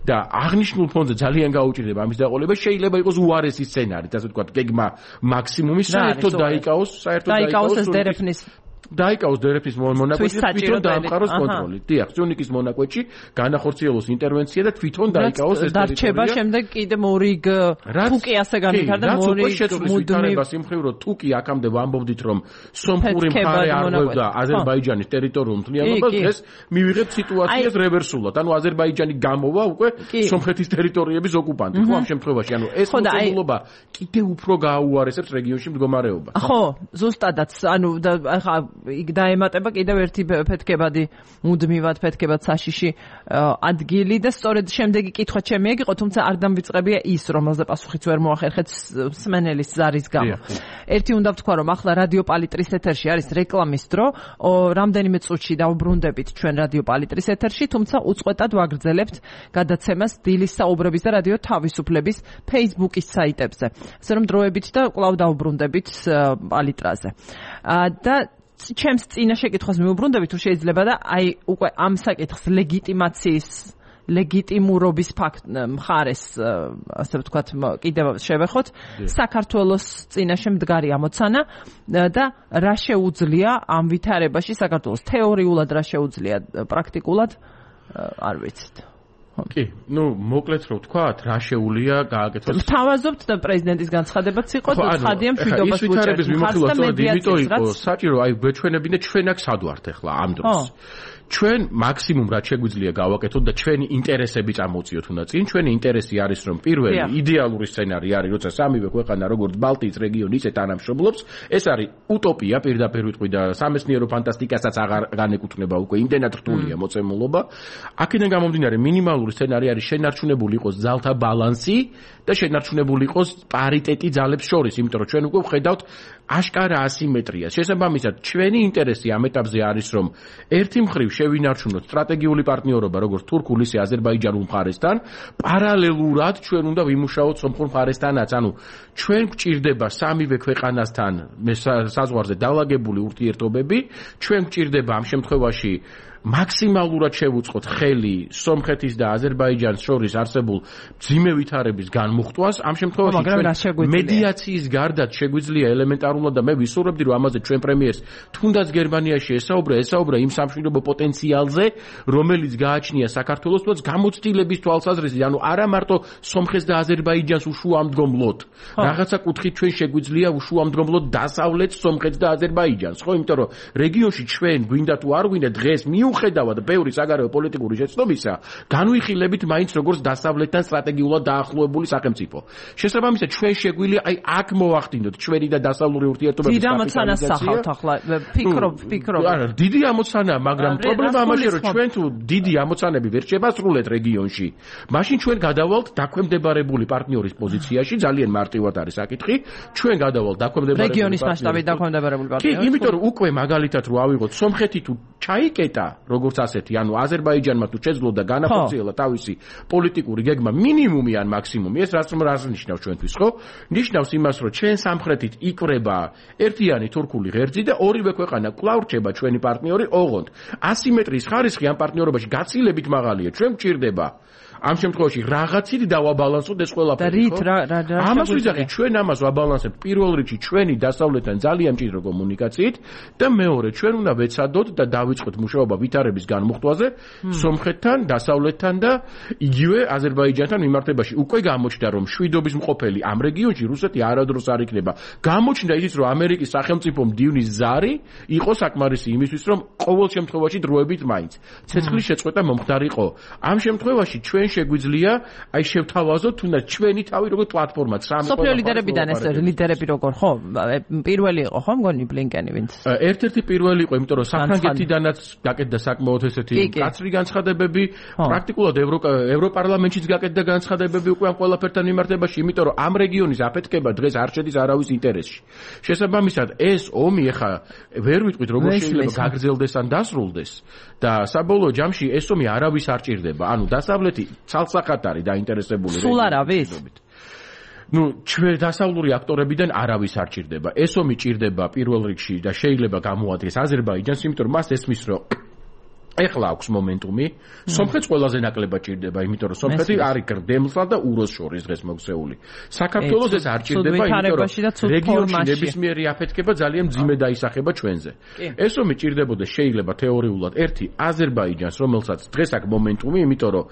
და აღნიშნულ ფონზე ძალიან გაუჭირდება ამის დაყოლება, შეიძლება იყოს უარესი სცენარით, ასე ვთქვათ, გეგმა მაქსიმუმი, საერთოდ დაიკაოს, საერთოდ
დაიკაოს ეს დერეფნის
დაიკაოს დერეფნის მონაკვეთში თვითონ დაამყაროს კონტროლი. დიახ, სუნიკის მონაკვეთში განახორციელოს ინტერვენცია და თვითონ დაიკაოს ეს ტერიტორია.
დარჩება შემდეგ კიდე მორიგ თუკი ასე განვითარდა მორიგ
მუდმივ სიმხრივ რომ თუკი აქამდე ვამბობდით რომ სომხური მხარე არღვევდა აზერბაიჯანის ტერიტორიულ მთლიანობას, დღეს მივიღებთ სიტუაციას რევერსულად. ანუ აზერბაიჯანი გამოვა უკვე სომხეთის ტერიტორიების ოკუპანტი. ხო, ამ შემთხვევაში ანუ ეს მოწყობილობა კიდე უფრო გააუარესებს რეგიონში მდგომარეობას.
ხო, ზუსტადაც, ანუ ახლა იქ დაემატება კიდევ ერთი ფეთქებადი, მუდმივად ფეთქებად საშიში ადგილი და სწორედ შემდეგი კითხვა ჩემი ეგ იყო, თუმცა არ დამვიწყებია ის, რომელზე პასუხიც ვერ მოახერხეთ მსმენელის ზარის გამო. ერთი უნდა ვთქვა, რომ ახლა რადიო პალიტრის ეთერში არის რეკლამის დრო, რამდენიმე წუთში დავუბრუნდებით ჩვენ რადიო პალიტრის ეთერში, თუმცა უწყვეტად ვაგრძელებთ გადაცემას დილის საუბრების და რადიო თავისუფლების Facebook-ის საიტებზე. ასე რომ დროებით და კვლავ დავუბრუნდებით პალიტრაზე. და ჩემს წინა შეკითხვას მივუბრუნდებით, თუ შეიძლება და აი უკვე ამ საკითხს ლეგიტიმაციის ლეგიტიმურობის ფაქტ მხარეს, ასე ვთქვათ, კიდევ შევეხოთ, საქართველოს წინაშე მდგარი ამოცანა და რა შეუძლია ამ ვითარებაში საქართველოს თეორიულად, რა შეუძლია პრაქტიკულად, არ ვიცით.
კი, ну, მოკლედ რო ვთქვათ, რა შეუულია გააკეთოს.
თავაზობთ და პრეზიდენტის განცხადებაც იყო და ცხადია მშვიდობას უჭერს.
მხარს და მედიაციის იყო საჭირო, აი გვეჩვენებინა ჩვენ აქ სად ვართ ახლა ამ დროს. ჩვენ მაქსიმუმ რაც შეგვიძლია გავაკეთოთ და ჩვენი ინტერესები წამოვწიოთ უნდა წინ. ჩვენი ინტერესი არის რომ პირველი იდეალური სცენარი არის, როცა სამივე ქვეყანა როგორც ბალტიის რეგიონი ისე თანამშრომლობს. ეს არის утоპია პირდაპირ ვიტყვი და სამეცნიერო ფანტასტიკასაც აღარ განეკუთვნება უკვე იმდენად რთულია მოცემულობა. აქედან გამომდინარე მინიმალური სცენარი არის შენარჩუნებული იყოს ძალთა ბალანსი და შენარჩუნებული იყოს პარიტეტი ძალებს შორის, იმიტომ რომ ჩვენ უკვე ვხედავთ აშკარა ასიმეტრიას. შესაბამისად, ჩვენი ინტერესი ამ ეტაპზე არის რომ ერთი მხრივ შევინარჩუნოთ სტრატეგიული პარტნიორობა როგორც თურქულ ისე აზერბაიჯანულ მხარესთან, პარალელურად ჩვენ უნდა ვიმუშაოთ სომხურ მხარესთანაც. ანუ ჩვენ გვჭირდება სამივე ქვეყანასთან საზღვარზე დაალაგებული ურთიერთობები, ჩვენ გვჭირდება ამ შემთხვევაში მაქსიმალურად შევუწყოთ ხელი სომხეთის და აზერბაიჯანის შორის არსებულ მძიმე ვითარების განმუხტვას. ამ შემთხვევაში ჩვენ მედიაციის გარდაც შეგვიძლია ელემენტარულად და მე ვისურვებდი რომ ამაზე ჩვენ პრემიერს თუნდაც გერმანიაში ესაუბრა, ესაუბრა იმ სამშვიდობო პოტენციალზე, რომელიც გააჩნია საქართველოს, თუნდაც გამოცდილების თვალსაზრისით, ანუ არა მარტო სომხეთს და აზერბაიჯანს უშუამდგომლოდ. რაღაცა კუთხით ჩვენ შეგვიძლია უშუამდგომლოდ დასავლეთს, სომხეთს და აზერბაიჯანს, ხო? იმიტომ რომ რეგიონში ჩვენ გვინდა თუ არ გვინდა დღეს მიუხედავად ბევრი საგარეო პოლიტიკური შეცდომისა, განვიხილებით მაინც როგორც დასავლეთთან სტრატეგიულად დაახლოებული სახელმწიფო. შესაბამისად, ჩვენ შეგვიძლია აი აქ მოვახდინოთ ჩვენი და დასავლური ურთიერთობების
დიდი ამოცანას სახავთ ახლა. ფიქრობ, ფიქრობ.
არა, დიდი ამოცანაა, მაგრამ პრობლემა ამაშია, რომ ჩვენ თუ დიდი ამოცანები ვერ შევასრულეთ რეგიონში, მაშინ ჩვენ გადავალთ დაქვემდებარებული პარტნიორის პოზიციაში, ძალიან მარტივად არის საკითხი. ჩვენ გადავალთ დაქვემდებარებული
რეგიონის მასშტაბით დაქვემდებარებული პარტნიორი.
კი, იმიტომ რომ უკვე მაგალითად რო ავიღოთ, სომხეთი თუ ჩაიკეტა როგორც ასეთი, ანუ აზერბაიჯანმა თუ შეძლო და განახორციელა თავისი პოლიტიკური გეგმა მინიმუმი ან მაქსიმუმი, ეს რაც რას ნიშნავს ჩვენთვის, ხო? ნიშნავს იმას, რომ ჩვენ სამხრეთით იკვრება ერთიანი თურქული ღერძი და ორივე ქვეყანა კვლავ რჩება ჩვენი პარტნიორი, ოღონდ ასიმეტრიის ხარისხი ამ პარტნიორობაში გაცილებით მაღალია. ჩვენ გვჭირდება ამ შემთხვევაში რაღაცით დავაბალანსოთ ეს ყველაფერი, ხო? ამას ვიძახით, ჩვენ ამას ვაბალანსებთ პირველ რიგში ჩვენი დასავლეთთან ძალიან მჭიდრო კომუნიკაციით და მეორე ჩვენ უნდა ვეცადოთ და დავიწყოთ მუშაობა ვითარების განმუხტვაზე სომხეთთან, დასავლეთთან და იგივე აზერბაიჯანთან მიმართებაში. უკვე გამოჩნდა რომ შვიდობის მყოფელი ამ რეგიონში რუსეთი არადროს არ იქნება. გამოჩნდა ისიც რომ ამერიკის სახელმწიფო მდივნის ზარი იყო საკმარისი იმისთვის რომ ყოველ შემთხვევაში დროებით მაინც ცეცხლის შეწყვეტა მომხდარიყო. ამ შემთხვევაში ჩვენ შეგვიძლია აი შევთავაზოთ თუნდაც ჩვენი თავი როგორც პლატფორმა სამი
სოფლიო ლიდერებიდან ეს ლიდერები როგორ ხო პირველი იყო ხო მგონი ბლინკენი ვინც
ერთ-ერთი პირველი იყო იმიტომ რომ საფრანგეთიდანაც გაკეთდა საკმაოდ ესეთი კაცრი განცხადებები პრაქტიკულად ევროპარლამენტშიც გაკეთდა განცხადებები უკვე ამ ყველაფერთან მიმართებაში იმიტომ რომ ამ რეგიონის აფეთქება დღეს არ შედის არავის ინტერესში შესაბამისად ეს ომი ახლა ვერ ვიტყვით როგორ შეიძლება გაგრძელდეს ან დასრულდეს და საბოლოო ჯამში ეს ომი არავის არ ჭირდება ანუ დასავლეთი ცალსახად არის დაინტერესებული
სულ არავის
ну ჩვენ დასავლური აქტორებიდან არავის არ ჭირდება ეს ომი ჭირდება პირველ რიგში და შეიძლება გამოადგეს აზერბაიჯანს იმიტომ რომ მას ესმის რომ ეხლა აქვს მომენტუმი სომხეთს ყველაზე ნაკლებად ჭირდება იმიტომ რომ სომხეთი არის გრდემლსა და უროს შორის დღეს მოქცეული საქართველოს ეს არ ჭირდება იმიტომ რომ რეგიონში ნებისმიერი აფეთქება ძალიან მძიმე დაისახება ჩვენზე ეს ომი ჭირდებოდა შეიძლება თეორიულად ერთი აზერბაიჯანს რომელსაც დღეს აქვს მომენტუმი იმიტომ რომ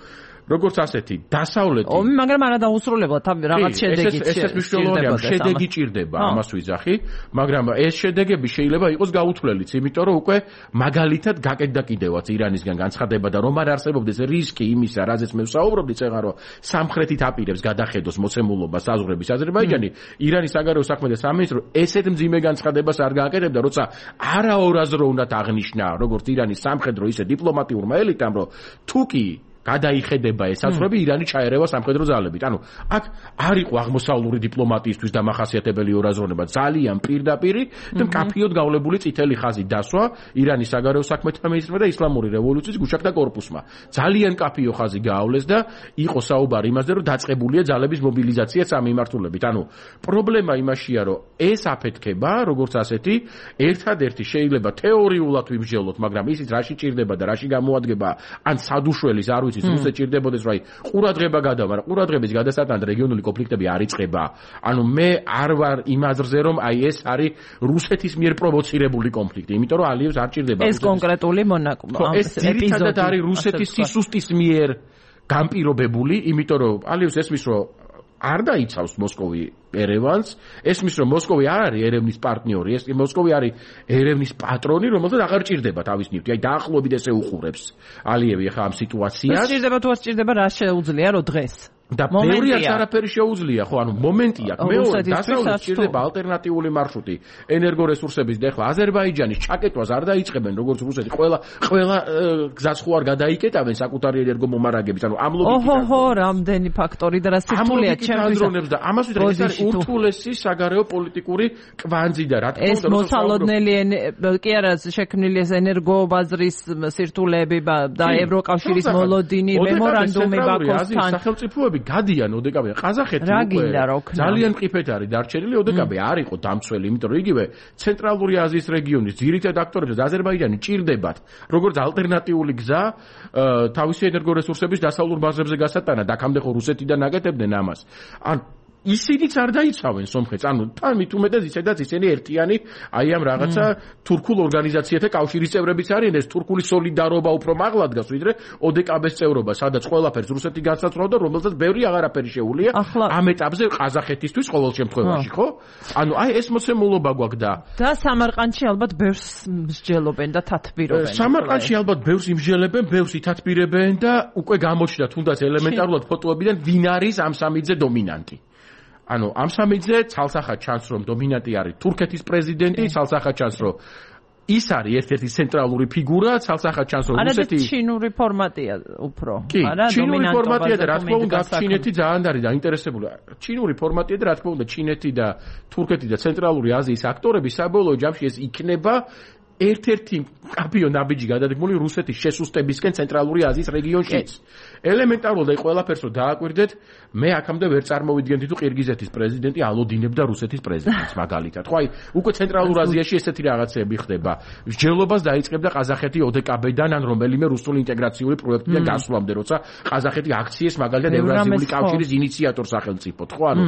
როგორც ასეთი დასავლეთი
ომი მაგრამ არა დაუსრულებელად რაღაც შედეგი
ეს ეს მნიშვნელოვანია შედეგი ჭირდება ამას ვიძახი მაგრამ ეს შედეგები შეიძლება იყოს გაუთვლელიც იმიტომ რომ უკვე მაგალითად გაკეთდა კიდევაც ირანისგან განცხადება და რომ არ არსებობდეს რისკი იმისა რაზეც მე ვსაუბრობდი წეღა რომ სამხრეთით აპირებს გადახედოს მოცემულობა საზღვრების აზერბაიჯანი ირანის საგარეო საქმეთა სამინისტრო ესეთ მძიმე განცხადებას არ გააკეთებდა როცა არაორაზროვნად აღნიშნა როგორც ირანის სამხედრო ისე დიპლომატიურმა ელიტამ რომ თუკი გადაიხედება ეს საზღვრები ირანი ჩაერევა სამხედრო ძალებით. ანუ აქ არ იყო აღმოსავლური დიპლომატიისთვის დამახასიათებელი ორაზროვნება, ძალიან პირდაპირი და მკაფიოდ გავლებული წითელი ხაზი დასვა ირანის საგარეო საქმეთა მინისტრმა და ისლამური რევოლუციის გუშაკთა კორპუსმა. ძალიან მკაფიო ხაზი გაავლეს და იყო საუბარი იმაზე, რომ დაწყებულია ძალების მობილიზაცია ამ მიმართულებით. ანუ პრობლემა იმაშია, რომ ეს აფეთქება, როგორც ასეთი, ერთადერთი შეიძლება თეორიულად ვიმსჯელოთ, მაგრამ ისიც რაში ჭირდება და რაში გამოადგება, ან სადუშველის არ ის რუსეთს ჭირდებოდეს რომ აი ყურადღება გადავა, მაგრამ ყურადღების გადასატანად რეგიონული კონფლიქტები არ იწყება. ანუ მე არ ვარ იმ აზრზე რომ აი ეს არის რუსეთის მიერ პროვოცირებული კონფლიქტი, იმიტომ რომ ალიევს არ ჭირდება.
ეს კონკრეტული მონაკო
ეს ძირითადად არის რუსეთის სისუსტის მიერ განპირობებული, იმიტომ რომ ალიევს ესმის რომ არ დაიცავს მოსკოვი ერევანს, ესმის რომ მოსკოვი არ არის ერევნის პარტნიორი, ეს მოსკოვი არის ერევნის პატრონი, რომელსაც აღარ ჭირდება თავის ნივთი. აი დაახლოებით ესე უყურებს ალიევი ახლა ამ სიტუაციას.
ჭირდება თუ არ ჭირდება, რა შეუძლია რომ დღეს
და ბევრი არც არაფერი შეუძლია, ხო, ანუ მომენტია, მეორე დასავლეთ ჭირდება ალტერნატიული მარშრუტი ენერგორესურსების და ახლა აზერბაიჯანის ჩაკეტვას არ დაიწყებენ, როგორც რუსეთი, ყველა ყველა გზას ხო არ გადაიკეტავენ საკუთარი ენერგომომარაგების, ანუ ამ ლოგიკით.
ოჰო, რამდენი ფაქტორი და რა სირთულეა ჩემთვის.
და ამას ვიტყვი, ეს არის ურთულესი საგარეო პოლიტიკური კვანძი და რა თქმა უნდა,
ეს მოსალოდნელი კი არა შექმნილი ეს ენერგობაზრის სირთულეები და ევროკავშირის მოლოდინი მემორანდუმი ბაქოსთან.
სახელმწიფოები გადიან ოდეკაბე ყაზახეთი უკვე ძალიან მყიფეთ არის დარჩენილი ოდეკაბე არ იყო დამცველი იმიტომ რომ იგივე ცენტრალური აზიის რეგიონის ძირითად აქტორებს და აზერბაიჯანი ჭირდებათ როგორც ალტერნატიული გზა თავისი ენერგორესურსების დასავლურ ბაზრებზე გასატანად აქამდე ხო რუსეთიდან აკეთებდნენ ამას ან ისინიც არ დაიცავენ სომხეთს, ანუ თან მით უმეტეს ისედაც ისინი ერთიანი აი ამ რაღაცა თურქულ ორგანიზაციათა კავშირის წევრებიც არიან, ეს თურქული სოლიდარობა უფრო მაღლა დგას ვიდრე ოდეკაბეს წევრობა, სადაც ყველაფერს რუსეთი განსაცდელობდა, რომელსაც ბევრი აღარაფერი შეუძლია ამ ეტაპზე ყაზახეთისთვის ყოველ შემთხვევაში, ხო? ანუ აი ეს მოცემულობა გვაქვს და
და სამარყანდში ალბათ ბევრს მსჯელობენ და თათბირობენ.
სამარყანდში ალბათ ბევრს იმსჯელებენ, ბევრს ითათბირებენ და უკვე გამოჩნდა თუნდაც ელემენტარულად ფოტოებიდან ვინ არის ამ სამიძე დომინანტი. ანუ ამ სამიძე ცალსახად ჩანს რომ დომინანტი არის თურქეთის პრეზიდენტი, ცალსახად ჩანს რომ ის არის ერთ-ერთი ცენტრალური ფიგურა, ცალსახად ჩანს რომ რუსეთი
არა ჩინური ფორმატია უფრო,
არა ჩინური ფორმატია და რა თქმა უნდა ჩინეთი ძალიან არის დაინტერესებული. ჩინური ფორმატია და რა თქმა უნდა ჩინეთი და თურქეთი და ცენტრალური აზიის აქტორები საბოლოო ჯამში ეს იქნება ერთ-ერთი კაბიო ნაბიჯი გადადგმული რუსეთის შესუსტებისკენ ცენტრალური აზიის რეგიონშიც. ელემენტარულად აი ყველაფერს რომ დააკვირდეთ, მე აქამდე ვერ წარმოვიდგენდი თუ ყირგიზეთის პრეზიდენტი ალოდინებდა რუსეთის პრეზიდენტს მაგალითად. ხო აი უკვე ცენტრალურ აზიაში ესეთი რაღაცები ხდება. მსჯელობას დაიწყებდა ყაზახეთი ოდეკაბედან ან რომელიმე რუსული ინტეგრაციული პროექტიდან გასვლამდე, როცა ყაზახეთი აქციეს მაგალითად ევრაზიული კავშირის ინიციატორ სახელმწიფოდ, ხო ანუ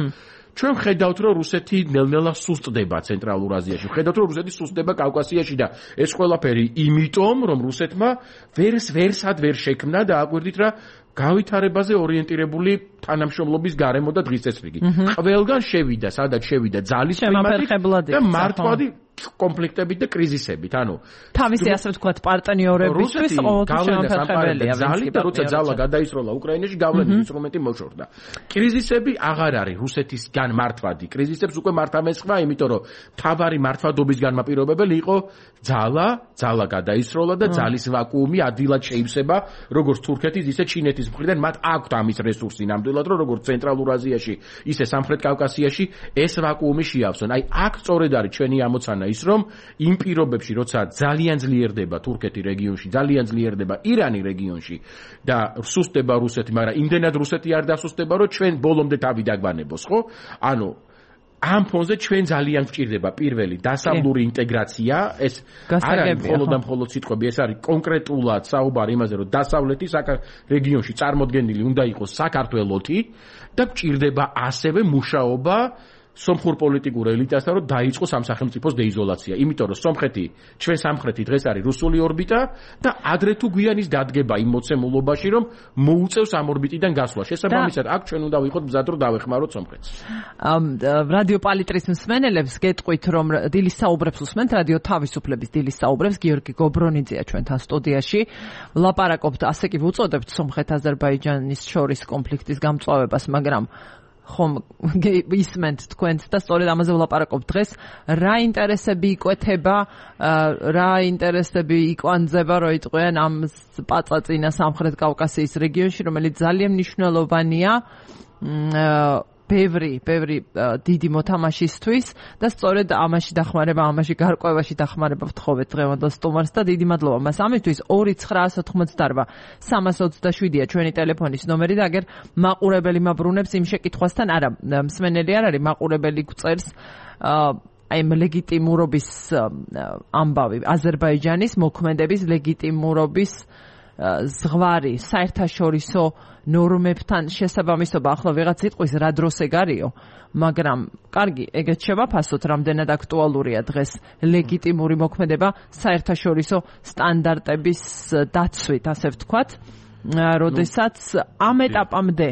ჩვენ ხედავთ რომ რუსეთი ნელ-ნელა სუსტდება ცენტრალურ აზიაში. ხედავთ რომ რუსეთი სუსტდება კავკასიაში და ეს ყველაფერი იმიტომ რომ რუსეთმა ვერს ვერსად ვერ შექმნა და აკვირდით რა გავითარებაზე ორიენტირებული თანამშრომლობის გარემო და დღის წესრიგი. ყველგან შევიდა, სადაც შევიდა ძალის
კლიმატი
და მართვადი კონფლიქტებით და კრიზისებით. ანუ
თავისი ასე ვთქვათ პარტნიორებისთვის ყოველთვის შემოფერხებელია.
ძალით და როცა ძალა გადაისროლა უკრაინაში გავლენის ინსტრუმენტი მოშორდა. კრიზისები აღარ არის რუსეთისგან მართვადი. კრიზისებს უკვე მართამესხმა, იმიტომ რომ თავარი მართვადობის განმაპირობებელი იყო ძალა, ძალა გადაისროლა და ძალის ვაკუუმი ადვილად შეივსება როგორც თურქეთის, ისე ჩინეთის მხრიდან. მათ აქვთ ამის რესურსი ნამდვილად, რომ როგორც ცენტრალურ აზიაში, ისე სამხრეთ კავკასიაში ეს ვაკუუმი შეავსონ. აი აქ სწორედ არის ჩვენი ამოცანა ის რომ იმ პირობებში როცა ძალიან ძლიერდება თურქეთი რეგიონში, ძალიან ძლიერდება ირანი რეგიონში და სუსტდება რუსეთი, მაგრამ იმდენად რუსეთი არ დასუსტება, რომ ჩვენ ბოლომდე თავი დაგვანებოს, ხო? ანუ ამ ფონზე ჩვენ ძალიან გვჭირდება პირველი დასავლური ინტეგრაცია, ეს არ არის მხოლოდ და მხოლოდ სიტყვები, ეს არის კონკრეტულად საუბარი იმაზე, რომ დასავლეთის რეგიონში წარმოდგენილი უნდა იყოს საქართველოთი და გვჭირდება ასევე მუშაობა სომხურ პოლიტიკურ ელიტასთან რომ დაიწყოს ამ სახელმწიფოს დეიზოლაცია. იმიტომ რომ სომხეთი, ჩვენ სამხრეთი დღეს არის რუსული ორბიტა და ადრე თუ გვიანის დადგება იმ მოცემულობაში რომ მოუწევს ამ ორბიტიდან გასვლა. შესაბამისად, აქ ჩვენ უნდა ვიყოთ მზად რომ დავეხმაროთ სომხეთს.
რადიო პალიტრის მსმენელებს გეტყვით რომ დილის საუბრებს უსმენთ, რადიო თავისუფლების დილის საუბრებს გიორგი გობრონიძეა ჩვენთან სტუდიაში. ვლაპარაკობთ, ასე კი ვუწოდებთ სომხეთ-აზერბაიჯანის შორის კონფლიქტის გამწვავებას, მაგრამ ხომ ისმენთ თქვენც და სწორედ ამაზე ვლაპარაკობ დღეს. რა ინტერესები იკვეთება, რა ინტერესები იკვანძება, რო იტყვიან ამ პაწაწინა სამხრეთ კავკასიის რეგიონში, რომელიც ძალიან მნიშვნელოვანია ბევრი, ბევრი დიდი მოთამაშისთვის და სწორედ ამაში დახმარება, ამაში გარკვევაში დახმარება ვთხოვეთ დღევანდელ სტუმარს და დიდი მადლობა მას ამისთვის. ორი ცხრაას ოთხმოცდაორვა სამას ოცდაშვიდია ჩვენი ტელეფონის ნომერი და აგერ მაყურებელი მაბრუნებს იმ შეკითხვასთან, არა, მსმენელი არ არის, მაყურებელი გვწერს აი ამ ლეგიტიმურობის ამბავი, აზერბაიჯანის მოქმედების ლეგიტიმურობის ზღვარი, საერთაშორისო ნორმებთან შესაბამისობა. ახლა ვიღაც იტყვის რა დროს ეგ არისო, მაგრამ კარგი, ეგეც შევაფასოთ, რამდენად აქტუალურია დღეს ლეგიტიმური მოქმედება საერთაშორისო სტანდარტების დაცვით, ასე ვთქვათ. როდესაც ამ ეტაპამდე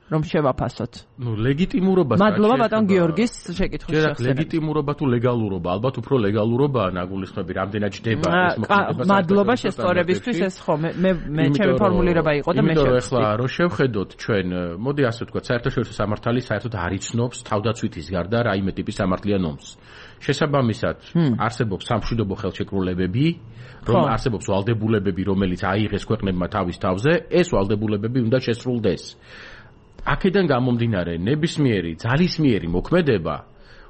რომ შევაფასოთ.
ნუ ლეგიტიმურობას
მადლობა ბატონ გიორგის შეკითხვის
შესახებ. ლეგიტიმურობა თუ ლეგალურობა, ალბათ უფრო ლეგალურობაა ნაგულისხმები, რამდენად ჯდება ეს მოქმედება.
მადლობა შესწორებისთვის, ეს ხო მე მე ჩემი ფორმულირება იყო და მე
შევხვდი. იმიტომ ახლა რო შევხედოთ ჩვენ, მოდი ასე ვთქვათ, საერთაშორისო სამართალი საერთოდ არ იცნობს თავდაცვითის გარდა რაიმე ტიპის სამართლიან ნორმს. შესაბამისად, არსებობს სამშვიდობო ხელშეკრულებები, რომ არსებობს ვალდებულებები, რომელიც აიღეს ქვეყნებმა თავის თავზე, ეს ვალდებულებები უნდა შესრულდეს. აქედან გამომდინარე, ნებისმიერი ძალისმიერი მოქმედება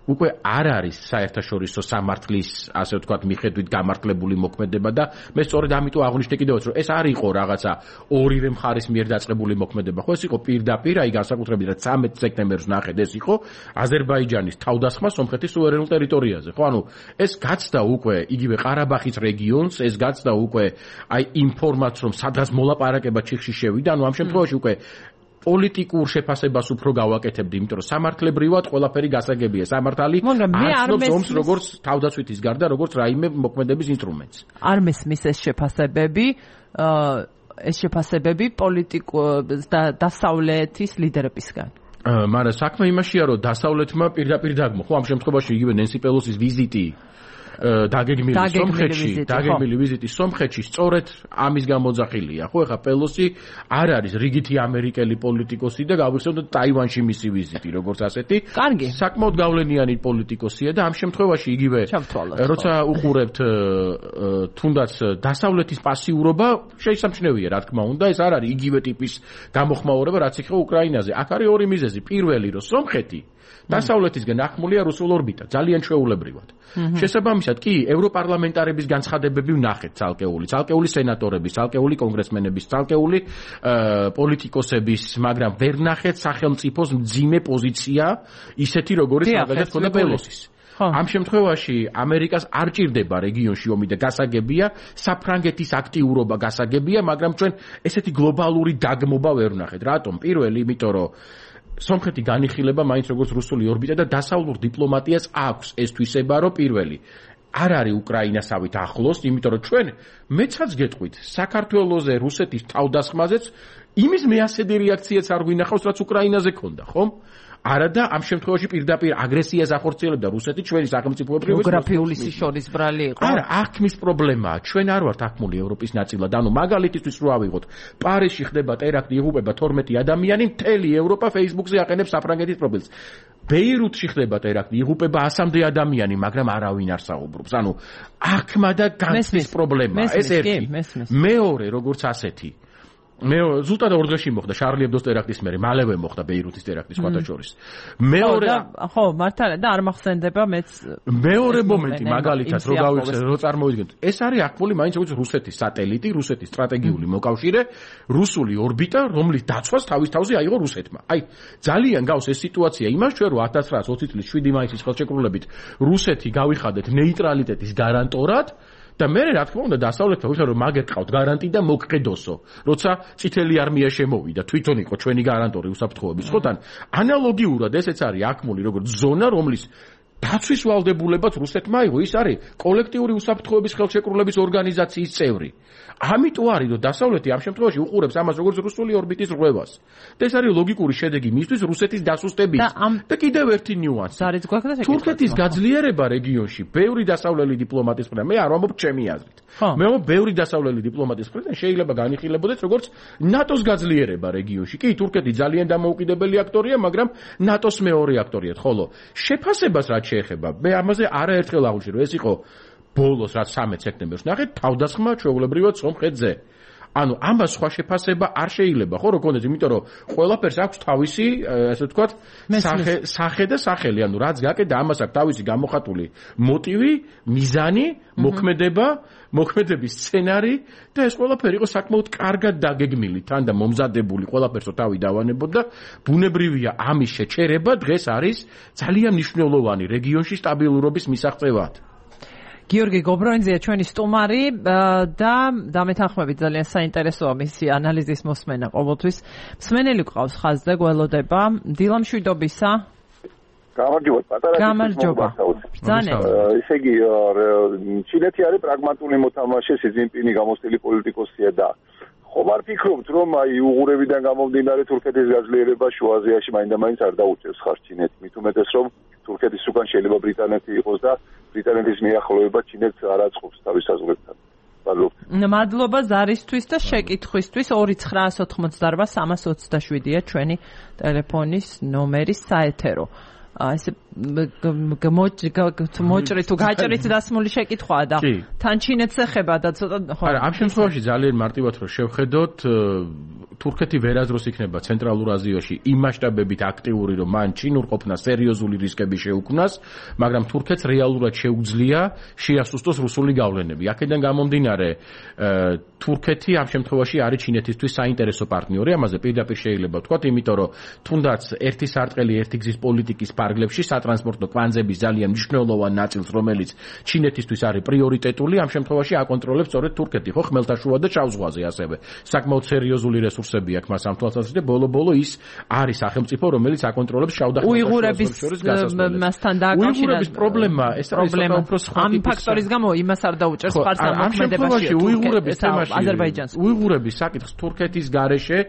უკვე არ არის საერთაშორისო სამართლის, ასე ვთქვათ, მიხედვით გამართლებული მოქმედება და მე სწორედ ამიტომ აღვნიშნე კიდევაც, რომ ეს არ იყო რაღაცა ორივე მხარის მიერ დაწყებული მოქმედება, ხო ეს იყო პირდაპირ, აი განსაკუთრებით რა ცამეტ სექტემბერს ნახეთ, ეს იყო აზერბაიჯანის თავდასხმა სომხეთის სუვერენულ ტერიტორიაზე, ხო, ანუ ეს გაცდა უკვე იგივე ყარაბაღის რეგიონს, ეს გაცდა უკვე აი იმ ფორმატს, რომ სადღაც მოლაპარაკება ჩიხში შევიდა, ანუ ამ შემთხვევაში უკვე პოლიტიკურ შეფასებას უფრო გავაკეთებდი, იმიტომ რომ სამართლებრივად ყველაფერი გასაგებია. სამართალი არსებობს ომს როგორც თავდაცვითის გარდა, როგორც რაიმე მოქმედების ინსტრუმენტს.
არ მესმის ეს შეფასებები, ეს შეფასებები პოლიტიკურ დასავლეთის ლიდერებისგან.
მაგრამ საქმე იმაშია, რომ დასავლეთმა პირდაპირ დაგმო, ხო, ამ შემთხვევაში იგივე ნენსი პელოსის ვიზიტი დაგეგმილი სომხეთში, დაგეგმილი ვიზიტი სომხეთში სწორედ ამის გამოძახილია. ხო, ეხა პელოსი არ არის რიგითი ამერიკელი პოლიტიკოსი და გავიხსენოთ ტაივანში მისი ვიზიტი, როგორც ასეთი.
კარგი.
საკმაოდ გავლენიანი პოლიტიკოსია და ამ შემთხვევაში იგივე როცა უყურებთ თუნდაც დასავლეთის პასიურობა შეისამჩნევია, რა თქმა უნდა, ეს არ არის იგივე ტიპის გამოხმაურება, რაც იქ უკრაინაზე. აქ არის ორი მიზეზი. პირველი, რომ სომხეთი დასავლეთისგან ახმულია რუსულ ორბიტა, ძალიან ჩვეულებრივად. შესაბამისად კი ევროპარლამენტარების განცხადებები ვნახეთ ცალკეული, ცალკეული სენატორების, ცალკეული კონგრესმენების, ცალკეული პოლიტიკოსების, მაგრამ ვერ ვნახეთ სახელმწიფოს მძიმე პოზიცია, ისეთი როგორიც მაგალითად ქონდა პელოსის. ამ შემთხვევაში ამერიკას არ ჭირდება რეგიონში ომი და გასაგებია, საფრანგეთის აქტიურობა გასაგებია, მაგრამ ჩვენ ესეთი გლობალური დაგმობა ვერ ვნახეთ. რატომ? პირველი, იმიტომ რომ სომხეთი განიხილება მაინც როგორც რუსული ორბიტა და დასავლურ დიპლომატიას აქვს ეს თვისება, რომ პირველი არ არის უკრაინასავით ახლოს, იმიტომ რომ ჩვენ მეცაც გეტყვით საქართველოზე რუსეთის თავდასხმაზეც იმის მეასედი რეაქციაც არ გვინახავს, რაც უკრაინაზე ქონდა, ხომ? არადა ამ შემთხვევაში პირდაპირ აგრესიას ახორციელებდა რუსეთი ჩვენი სახელმწიფოებრივი
გეოგრაფიული სიშორის ბრალი იყო.
არა, აქ პრობლემაა. ჩვენ არ ვართ ახმული ევროპის ნაწილად. ანუ მაგალითისთვის რო ავიღოთ, პარიზში ხდება ტერაქტი, იღუპება თორმეტი ადამიანი, მთელი ევროპა Facebook-ზე აყენებს საფრანგეთის პროფილს. ბეირუთში ხდება ტერაქტი, იღუპება ასამდე ადამიანი, მაგრამ არავინ არ საუბრობს. ანუ აქმა და განცდის პრობლემაა. ეს ერთი. მეორე, როგორც ასეთი. მე ზუსტად ორ დღეში მოხდა შარლი ებდოს ტერაქტის მერე, მალევე მოხდა ბეირუთის ტერაქტი სხვათა შორის. მეორე
ხო, მართალია და არ მახსენდება მეც
მეორე მომენტი მაგალითად რო გავიხსენე, რო წარმოვიდგინოთ. ეს არის აქტუალური მაინც როგორც რუსეთის სატელიტი, რუსეთის სტრატეგიული მოკავშირე, რუსული ორბიტა, რომლის დაცვას თავის თავზე აიღო რუსეთმა. აი, ძალიან გავს ეს სიტუაცია იმას ჩვენ რომ ათას ცხრაას ოცი წლის შვიდი მაისის ხელშეკრულებით რუსეთი გავიხადეთ ნეიტრალიტეტის გარანტორად. და მე რა თქმა უნდა დასავლეთმა ვიხარ რომ მაგერ ყავთ გარანტი და მოგყედოსო, როცა წითელი არმია შემოვიდა, თვითონ იყო ჩვენი გარანტორი უსაფრთხოების, ხო თან ანალოგიურად ესეც არის აქმული როგორც ზონა, რომლის დაცვის ვალდებულებაც რუსეთმა აიღო, ის არის კოლექტიური უსაფრთხოების ხელშეკრულების ორგანიზაციის წევრი. ამიტომ არის რომ დასავლეთი ამ შემთხვევაში უყურებს ამას როგორც რუსული ორბიტის რღვევას. და ეს არის ლოგიკური შედეგი მისთვის რუსეთის დასუსტების. და კიდევ ერთი ნიუანსი. თურქეთის გაძლიერება რეგიონში, ბევრი დასავლელი დიპლომატის მხრიდან, მე არ ვამბობ ჩემი აზრით. მე ვამბობ ბევრი დასავლელი დიპლომატის მხრიდან შეიძლება განიხილებოდეს როგორც ნატოს გაძლიერება რეგიონში. კი, თურქეთი ძალიან დამოუკიდებელი აქტორია, მაგრამ ნატოს მეორე აქტორია, ხოლო შეფასებას რაც შეეხება, მე ამაზე არაერთხელ აღვნიშნე, რომ ეს იყო ბოლოს რაც სამეც სექტემბერს ნახეთ, თავდასხმა ჩვეულებრივად სომხეთზე. ანუ ამას სხვა შეფასება არ შეიძლება, ხო, რო გქონდეს, იმიტომ რომ ყველაფერს აქვს თავისი, ასე ვთქვათ, სახე, სახე და სახელი, ანუ რაც გაკეთდა, ამას აქვს თავისი გამოხატული მოტივი, მიზანი, მოქმედება, მოქმედების სცენარი და ეს ყველაფერი იყო საკმაოდ კარგად დაგეგმილი, თან და მომზადებული, ყველაფერსო თავი დავანებოთ და ბუნებრივია ამის შეჩერება დღეს არის ძალიან მნიშვნელოვანი რეგიონში სტაბილურობის მისაღწევად.
გიორგი გობროინძეა ჩვენი სტუმარი და დამეთანხმებით ძალიან საინტერესოა მისი ანალიზის მოსმენა ყოველთვის. მსმენელი გყავს ხაზზე, გველოდება. დილა მშვიდობისა.
გამარჯობა, პატარა.
გამარჯობა. ბრძანეთ.
ესე იგი, ჩინეთი არის პრაგმატული მოთამაშე, სი ძინპინი გამოსტილი პოლიტიკოსია და ხომ არ ფიქრობთ, რომ აი უღურებიდან გამომდინარე თურქეთის გაძლიერება შუა აზიაში მაინდა-მაინც არ დაუჭერს ხარ ჩინეთს, მით უმეტეს რომ თურქეთის უკან შეიძლება ბრიტანეთი იყოს და ბრიტანეთის მიახლოება ჩინეთს არ აწყობს თავის საზღვრებთან.
მადლობა ზარისთვის და შეკითხვისთვის. ორი ცხრაას ოთხმოცდაარბა სამას ოცდაშვიდია ჩვენი ტელეფონის ნომერი საეთერო. ესე მოჭრით თუ გაჭრით დასმული შეკითხვაა და თან ჩინეთს ეხება და ცოტა
ხო. არა, ამ შემთხვევაში ძალიან მარტივად რო შევხედოთ, თურქეთი ვერაზროს იქნება ცენტრალურ აზიაში იმ მასშტაბებით აქტიური, რომ მან ჩინურ ყოფნა სერიოზული რისკები შეუქმნას, მაგრამ თურქეთს რეალურად შეუძლია შეასუსტოს რუსული გავლენები. აქედან გამომდინარე, თურქეთი ამ შემთხვევაში არის ჩინეთისთვის საინტერესო პარტნიორი, ამაზე პირდაპირ შეიძლება ვთქვათ, იმიტომ რომ თუნდაც ერთი სარტყელი ერთი გზის პოლიტიკის ფარგლებში სატრანსპორტო კვანძების ძალიან მნიშვნელოვან ნაწილს, რომელიც ჩინეთისთვის არის პრიორიტეტული, ამ შემთხვევაში აკონტროლებს სწორედ თურქეთი, ხო, ხმელთაშუა და ჩავის ზღვაზე ასევე. საკმაოდ სერიოზული რესურსები აქვს მას ამ თვალსაზრისით, ბოლო-ბოლო ის არის სახელმწიფო, რომელიც აკონტროლებს შავ და
უიღურების მასთან დააკავშირა.
უიღურების პრობლემა, ეს არის უფრო სხვა
ამ ფაქტორის გამო იმას არ დაუჭერს სპარსამოქმედებაში
უიღურების თემაში.
აზერბაიჯანს.
უიღურების საკითხს თურქეთის გარეშე,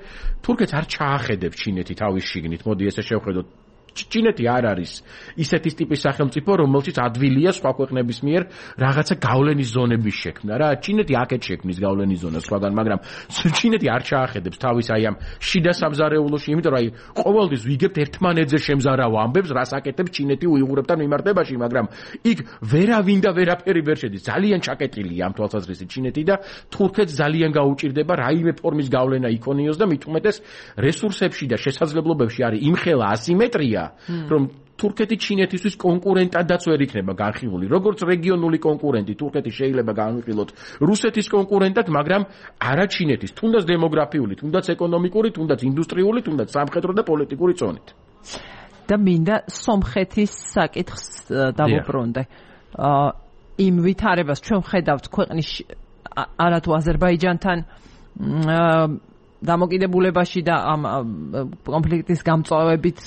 თურქეთს არ ჩაახედებს ჩინეთი თავის შიგნით. მოდი ესე შევხედოთ. ჩინეთი არ არის ისეთის ტიპის სახელმწიფო, რომელშიც ადვილია სხვა ქვეყნების მიერ რაღაცა გავლენის ზონების შექმნა რა. ჩინეთი აქეთ შექმნის გავლენის ზონას სხვაგან, მაგრამ ჩინეთი არ ჩაახედებს თავის აი ამ შიდა სამზარეულოში, იმიტომ რომ აი ყოველთვის ვიგებთ ერთმანეთზე შემზარავ ამბებს, რას აკეთებს ჩინეთი უიღურებთან მიმართებაში, მაგრამ იქ ვერავინ და ვერაფერი ვერ შედის. ძალიან ჩაკეტილია ამ თვალსაზრისით ჩინეთი და თურქეთს ძალიან გაუჭირდება რაიმე ფორმის გავლენა იქონიოს და მით უმეტეს რესურსებში და შესაძლებლობებში არის იმხელა ასიმეტრია, რომ თურქეთი ჩინეთისთვის კონკურენტადაც ვერ იქნება განხილული. როგორც რეგიონული კონკურენტი, თურქეთი შეიძლება განვიხილოთ რუსეთის კონკურენტად, მაგრამ არა ჩინეთის, თუნდაც დემოგრაფიული, თუნდაც ეკონომიკური, თუნდაც ინდუსტრიული, თუნდაც სამხედრო და პოლიტიკური წონით.
და მინდა სომხეთის საკითხს დავუბრუნდე. იმ ვითარებას ჩვენ ხედავთ ქვეყნის არათუ აზერბაიჯანთან დამოკიდებულებაში და ამ კონფლიქტის გამწვავებით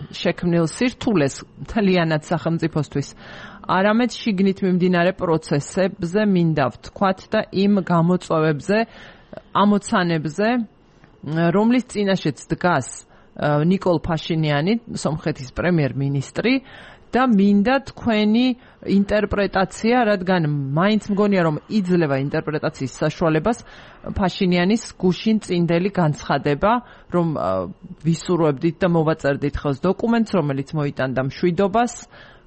შექმნილ სირთულეს მთლიანად სახელმწიფოსთვის, არამედ შიგნით მიმდინარე პროცესებზე მინდა ვთქვათ და იმ გამოწვევებზე, ამოცანებზე, რომლის წინაშეც დგას ნიკოლ ფაშინიანი, სომხეთის პრემიერ-მინისტრი, და მინდა თქვენი ინტერპრეტაცია, რადგან მაინც მგონია რომ იძლევა ინტერპრეტაციის საშუალებას ფაშინიანის გუშინ წინდელი განცხადება, რომ ვისურვებდით და მოვაწერდით ხელს დოკუმენტს, რომელიც მოიტანდა მშვიდობას,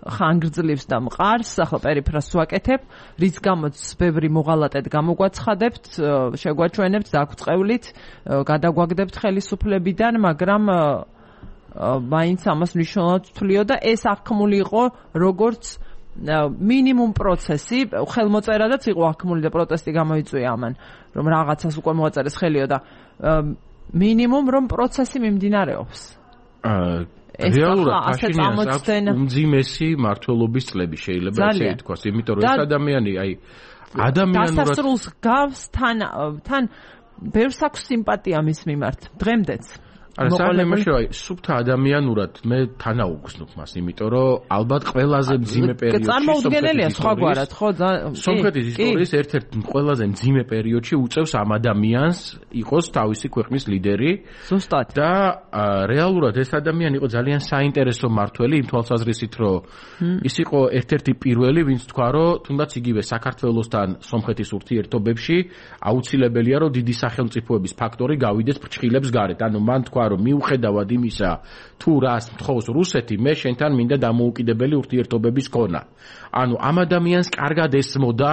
ხანგრძლივს და მყარს, ახლა პერიფრას ვაკეთებ, რის გამოც ბევრი მოღალატედ გამოგვაცხადებთ, შეგვაჩვენებთ, დაგვწყევლით, გადაგვაგდებთ ხელისუფლებიდან, მაგრამ მაინც ამას მნიშვნელოვნად ვთვლio და ეს აღქმული იყო როგორც მინიმუმ პროცესი, ხელმოწერადაც იყო აღქმული და პროტესტი გამოიწვია ამან, რომ რაღაცას უკვე მოაწერეს ხელიო და მინიმუმ რომ პროცესი მიმდინარეობს.
რეალურად ფაშინიანს აქვს უმძიმესი მმართველობის წლები, შეიძლება ესე ითქვას, იმიტომ რომ ეს ადამიანი აი ადამიანურად
დასასრულს გავს თან თან ბევრს აქვს სიმპათია მის მიმართ დღემდეც.
არა, საერთოდ აი სუფთა ადამიანურად მე თანაუგრძნობ მას, იმიტომ რომ ალბათ ყველაზე მძიმე პერიოდში
წარმოუდგენელია სხვაგვარად, ხო?
სომხეთის ისტორიის ერთ-ერთ ყველაზე მძიმე პერიოდში უწევს ამ ადამიანს იყოს თავისი ქვეყნის ლიდერი.
ზუსტად.
და რეალურად ეს ადამიანი იყო ძალიან საინტერესო მმართველი იმ თვალსაზრისით, რომ ის იყო ერთ-ერთი პირველი, ვინც თქვა, რომ თუნდაც იგივე საქართველოსთან სომხეთის ურთიერთობებში აუცილებელია, რომ დიდი სახელმწიფოების ფაქტორი გავიდეს ფრჩხილებს გარეთ. ანუ მან თქვა რომ მიუხედავად იმისა, თუ რას მთხოვს რუსეთი, მე შენთან მინდა დამოუკიდებელი ურთიერთობების ქონა. ანუ ამ ადამიანს კარგად ესმოდა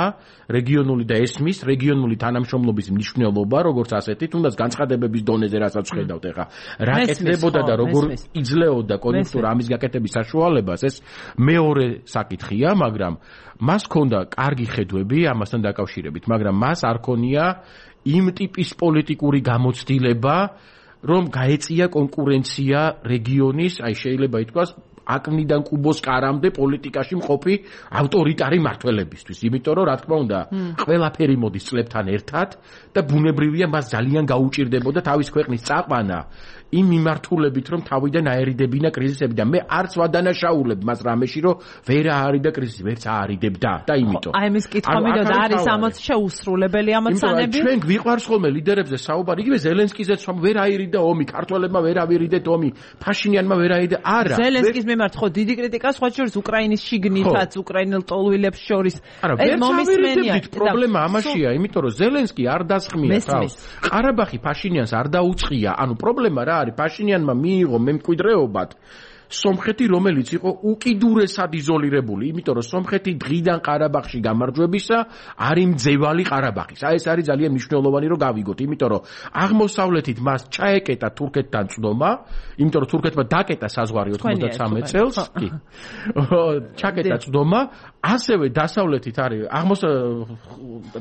რეგიონული და ესმის რეგიონული თანამშრომლობის მნიშვნელობა, როგორც ასეთი, თუნდაც განცხადებების დონეზე, რასაც ხედავთ ახლა, რა კეთდებოდა და როგორ იძლეოდა კონjunktūra ამის გაკეთების საშუალებას, ეს მეორე საკითხია, მაგრამ მას ჰქონდა კარგი ხედვები ამასთან დაკავშირებით, მაგრამ მას არ ქონია იმ ტიპის პოლიტიკური გამოცდილება, რომ გაეწია კონკურენცია რეგიონის, აი შეიძლება ითქვას, აკნიდან კუბოს კარამდე პოლიტიკაში მყოფი ავტორიტარი მმართველებისთვის. იმიტომ რომ რა თქმა უნდა, ყველაფერი მოდის წლებთან ერთად და ბუნებრივია მას ძალიან გაუჭირდებოდა თავის ქვეყნის წაყვანა იმ მიმართულებით რომ თავიდან აერიდებინა კრიზისები და მე არც ვადანაშაულებ მას რამეში რომ ვერ აარიდა კრიზისი, ვერც აარიდებდა და იმიტომ.
აი ამის კითხვა მინდოდა, არის ამოც შეუსრულებელი ამოცანები?
ჩვენ გვიყვარს ხოლმე ლიდერებზე საუბარი, იგივე ზელენსკიზეც რომ ვერ აირიდა ომი, ქართველებმა ვერ ავირიდეთ ომი, ფაშინიანმა ვერ აირიდა. არა.
ზელენსკის მიმართ ხო დიდი კრიტიკა სხვა შორის უკრაინის შიგნითაც, უკრაინელ ტოლვილებს შორის.
ეს მომისმენია. პრობლემა ამაშია, იმიტომ რომ ზელენსკი არ დასხმია თავს. ყარაბაღი ფაშინიანს არ დაუწყია. ანუ პრობლემა რა არის? ფაშინიანმა მიიღო მემკვიდრეობად სომხეთი, რომელიც იყო უკიდურესად იზოლირებული, იმიტომ რომ სომხეთი დღიდან ყარაბაღში გამარჯვებისა არის მძევალი ყარაბაღის. აი ეს არის ძალიან მნიშვნელოვანი რომ გავიგოთ, იმიტომ რომ აღმოსავლეთით მას ჩაეკეტა თურქეთთან წდომა, იმიტომ რომ თურქეთმა დაკეტა საზღვარი ოცდამეცხრამეტ წელს, კი. ჩაკეტა წდომა, ასევე დასავლეთით არის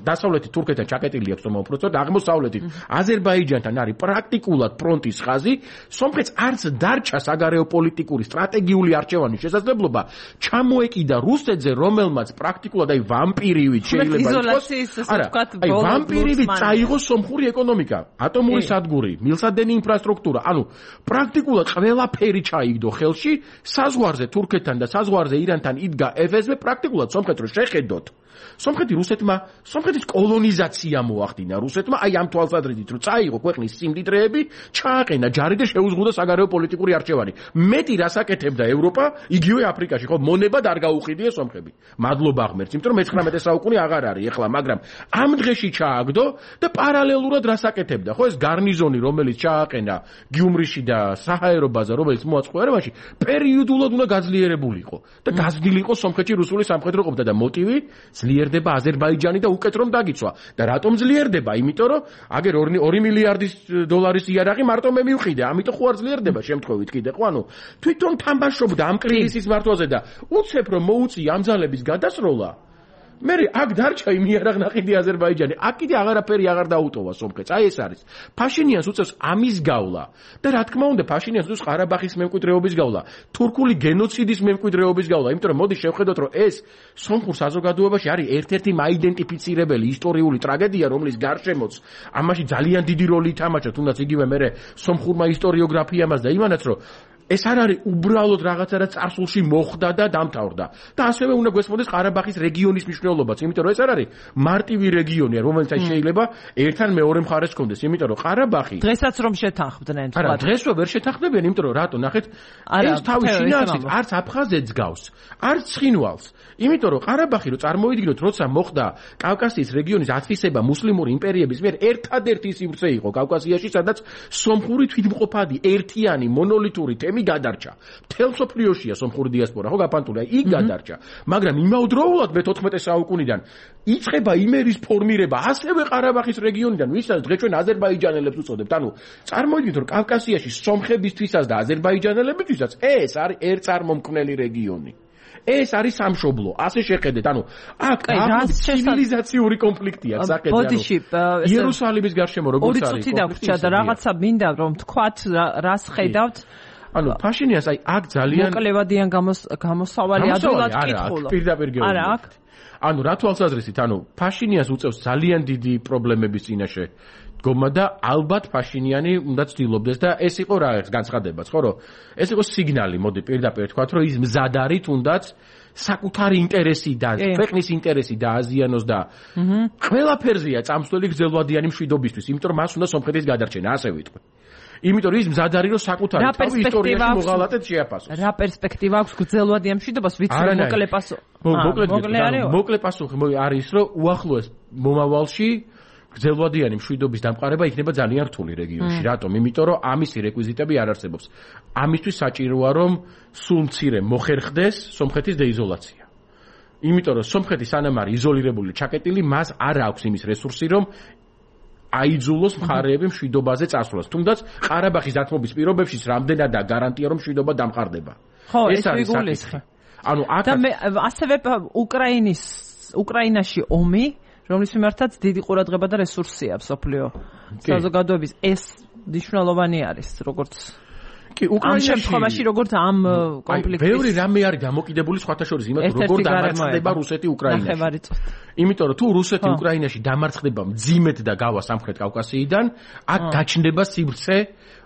დასავლეთით თურქეთთან ჩაკეტილი აქვს წდომა უпростоრად, აღმოსავლეთით აზერბაიჯანთან არის პრაქტიკულად ფრონტის ხაზი, სომხეთს არც დარჩა საგარეო პოლიტიკური სტრატეგიული არჩევანის შესაძლებლობა ჩამოეკიდა რუსეთზე, რომელმაც პრაქტიკულად აი ვამპირივით შეიძლება
იყოს. არა,
აი ვამპირივით წაიღო სომხური ეკონომიკა, ატომური სადგური, მილსადენი ინფრასტრუქტურა, ანუ პრაქტიკულად ყველაფერი ჩაიგდო ხელში, საზღვარზე თურქეთთან და საზღვარზე ირანთან იდგა ეფ ეს ბე, პრაქტიკულად სომხეთს რო შეხედოთ. სომხეთი რუსეთმა, სომხეთის კოლონიზაცია მოახდინა რუსეთმა, აი ამ თვალსაზრისით რომ წაიღო ქვეყნის სიმდიდრეები, ჩააყენა ჯარი და შეუზღუდა საგარეო პოლიტიკური არჩევანი. მეტი რას აკეთებდა ევროპა, იგივე აფრიკაში, ხო, მონებად არ გაუყიდია სომხები. მადლობა ღმერთს, იმიტომ რომ მეცხრამეტე საუკუნე აღარ არის ეხლა, მაგრამ ამ დღეში ჩააგდო და პარალელურად რას აკეთებდა, ხო, ეს გარნიზონი, რომელიც ჩააყენა გიუმრიში და საჰაერო ბაზა, რომელიც მოაწყო ერევანში, პერიოდულად უნდა გაძლიერებულიყო და გაზრდილიყო სომხეთში რუსული სამხედრო ყოფნა და მოტივი ძლიერდება აზერბაიჯანი და უკეთ რომ დაგიცვა. და რატომ ძლიერდება? იმიტომ რომ აგერ ორი მილიარდის დოლარის იარაღი მარტო მე მივყიდე, ამიტომ ხო არ ძლიერდება შემთხვევით კიდე, ხო, ანუ თვითონ თამბაშობდა ამ კრიზისის მართვაზე და უცებ რომ მოუწია ამ ძალების გადასროლა. მე აქ დარჩა იმ იარაღ-ნაყიდი აზერბაიჯანი, აქ კიდე აღარაფერი აღარ დაუტოვა სომხეთს. აი ეს არის. ფაშინიანს უწევს ამის გავლა და რა თქმა უნდა ფაშინიანს უწევს ყარაბაღის მემკვიდრეობის გავლა, თურქული გენოციდის მემკვიდრეობის გავლა, იმიტომ რომ მოდი შევხედოთ რომ ეს სომხურ საზოგადოებაში არის ერთ-ერთი მაიდენტიფიცირებელი ისტორიული ტრაგედია, რომლის გარშემოც ამაში ძალიან დიდი როლი ითამაშა, თუნდაც იგივე მე სომხურმა ისტორიოგრაფიამაც და იმანაც რომ ეს არ არის უბრალოდ რაღაცა რაც წარსულში მოხდა და დამთავრდა. და ასევე უნდა გვესმოდეს ყარაბაღის რეგიონის მნიშვნელობაც, იმიტომ რომ ეს არ არის მარტივი რეგიონია, რომელიც შეიძლება ერთთან მეორე მხარეს კონდეს, იმიტომ რომ ყარაბაღი
დღესაც რომ შეთანხმდნენ,
არა, დღესვე ვერ შეთანხმდებიან, იმიტომ რომ რატო, ნახეთ, ეს თავის შინაარსით არც აფხაზეთს გავს, არც ცხინვალს. იმიტომ რომ ყარაბაღი რო წარმოიდგინოთ, როცა მოხდა კავკასიის რეგიონის ათვისება მუსლიმური იმპერიების მიერ, ერთადერთი სივრცე იყო კავკასიაში, სადაც სომხური თვითმყოფადი, ერთიანი, მონოლითური თემი გადარჩა. მთელ მსოფლიოშია სომხური დიასპორა, ხო, გაფანტული, აი იქ გადარჩა. მაგრამ იმავდროულად მეთოთხმეტე საუკუნიდან იწყება იმერის ფორმირება ასევე ყარაბაღის რეგიონიდან, ვისაც დღეს ჩვენ აზერბაიჯანელებს უწოდებთ. ანუ წარმოიდგინეთ, რომ კავკასიაში სომხებისთვისაც და აზერბაიჯანელებისთვისაც ეს არის ერთწარმომქმნელი რეგიონი. ეს არის სამშობლო, ასე შეხედეთ, ანუ აქ ცივილიზაციური კონფლიქტია საკითხი, ანუ იერუსალიმის გარშემო როგორც არის.
ორი წუთი დაგვრჩა და რაღაცა მინდა რომ თქვათ რას ხედავთ.
ანუ ფაშინიანს აი აქ ძალიან
მოკლევადიან გამოსავალი ადვილად კითხულა.
პირდაპირ გეუბნები.
არა, აქ.
ანუ რა თვალსაზრისით, ანუ ფაშინიანს უწევს ძალიან დიდი პრობლემების წინაშე დგომა და ალბათ ფაშინიანი უნდა ცდილობდეს და ეს იყო რა ერთ განცხადებაც, ხო, რომ ეს იყო სიგნალი, მოდი პირდაპირ თქვათ, რომ ის მზად არის თუნდაც საკუთარი ინტერესი და ქვეყნის ინტერესი დააზიანოს და ყველაფერზეა წამსვლელი გრძელვადიანი მშვიდობისთვის, იმიტომ რომ მას უნდა სომხეთის გადარჩენა, ასე ვიტყვი. იმიტომ რომ ის მზად არის რომ საკუთარი თავი ისტორიაში მოღალატედ შეაფასოს.
რა პერსპექტივა აქვს გრძელვადიან მშვიდობას, ვიცი მოკლე პასუხი.
მოკლე პასუხი არის რომ უახლოეს მომავალში გრძელვადიანი მშვიდობის დამყარება იქნება ძალიან რთული რეგიონში. რატომ? იმიტომ რომ ამისი რეკვიზიტები არ არსებობს. ამისთვის საჭიროა რომ სულ მცირე მოხერხდეს სომხეთის დეიზოლაცია. იმიტომ რომ სომხეთი სანამ არის იზოლირებული, ჩაკეტილი, მას არ აქვს იმის რესურსი რომ აიძულოს მხარეები მშვიდობაზე წასვლას. თუმდაც ყარაბაღის დათმობის პირობებშიც რამდენადაა გარანტია რომ მშვიდობა დამყარდება.
ხო, ეს არის საკითხი.
ანუ აქ
და მე ასევე უკრაინის უკრაინაში ომი, რომლის მიმართაც დიდი ყურადღება და რესურსია მსოფლიო საზოგადოების, ეს მნიშვნელოვანი არის, როგორც
კი, უკრაინაში
ამ შემთხვევაში როგორც ამ კონფლიქტის
ბევრი რამე არის დამოკიდებული სხვათა შორის იმათ როგორ დამარცხდება რუსეთი უკრაინაში. იმიტომ რომ თუ რუსეთი უკრაინაში დამარცხდება მძიმედ და გავა სამხრეთ კავკასიიდან, აქ გაჩნდება სივრცე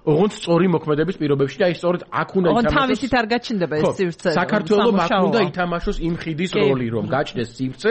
ოღონდ სწორი მოქმედების პირობებში და აი სწორედ აქ უნდა ითამაშოს. ოღონდ
თავისით არ გაჩნდება ეს სივრცე.
საქართველოს აქ უნდა ითამაშოს იმ ხიდის როლი, რომ გაჩნდეს სივრცე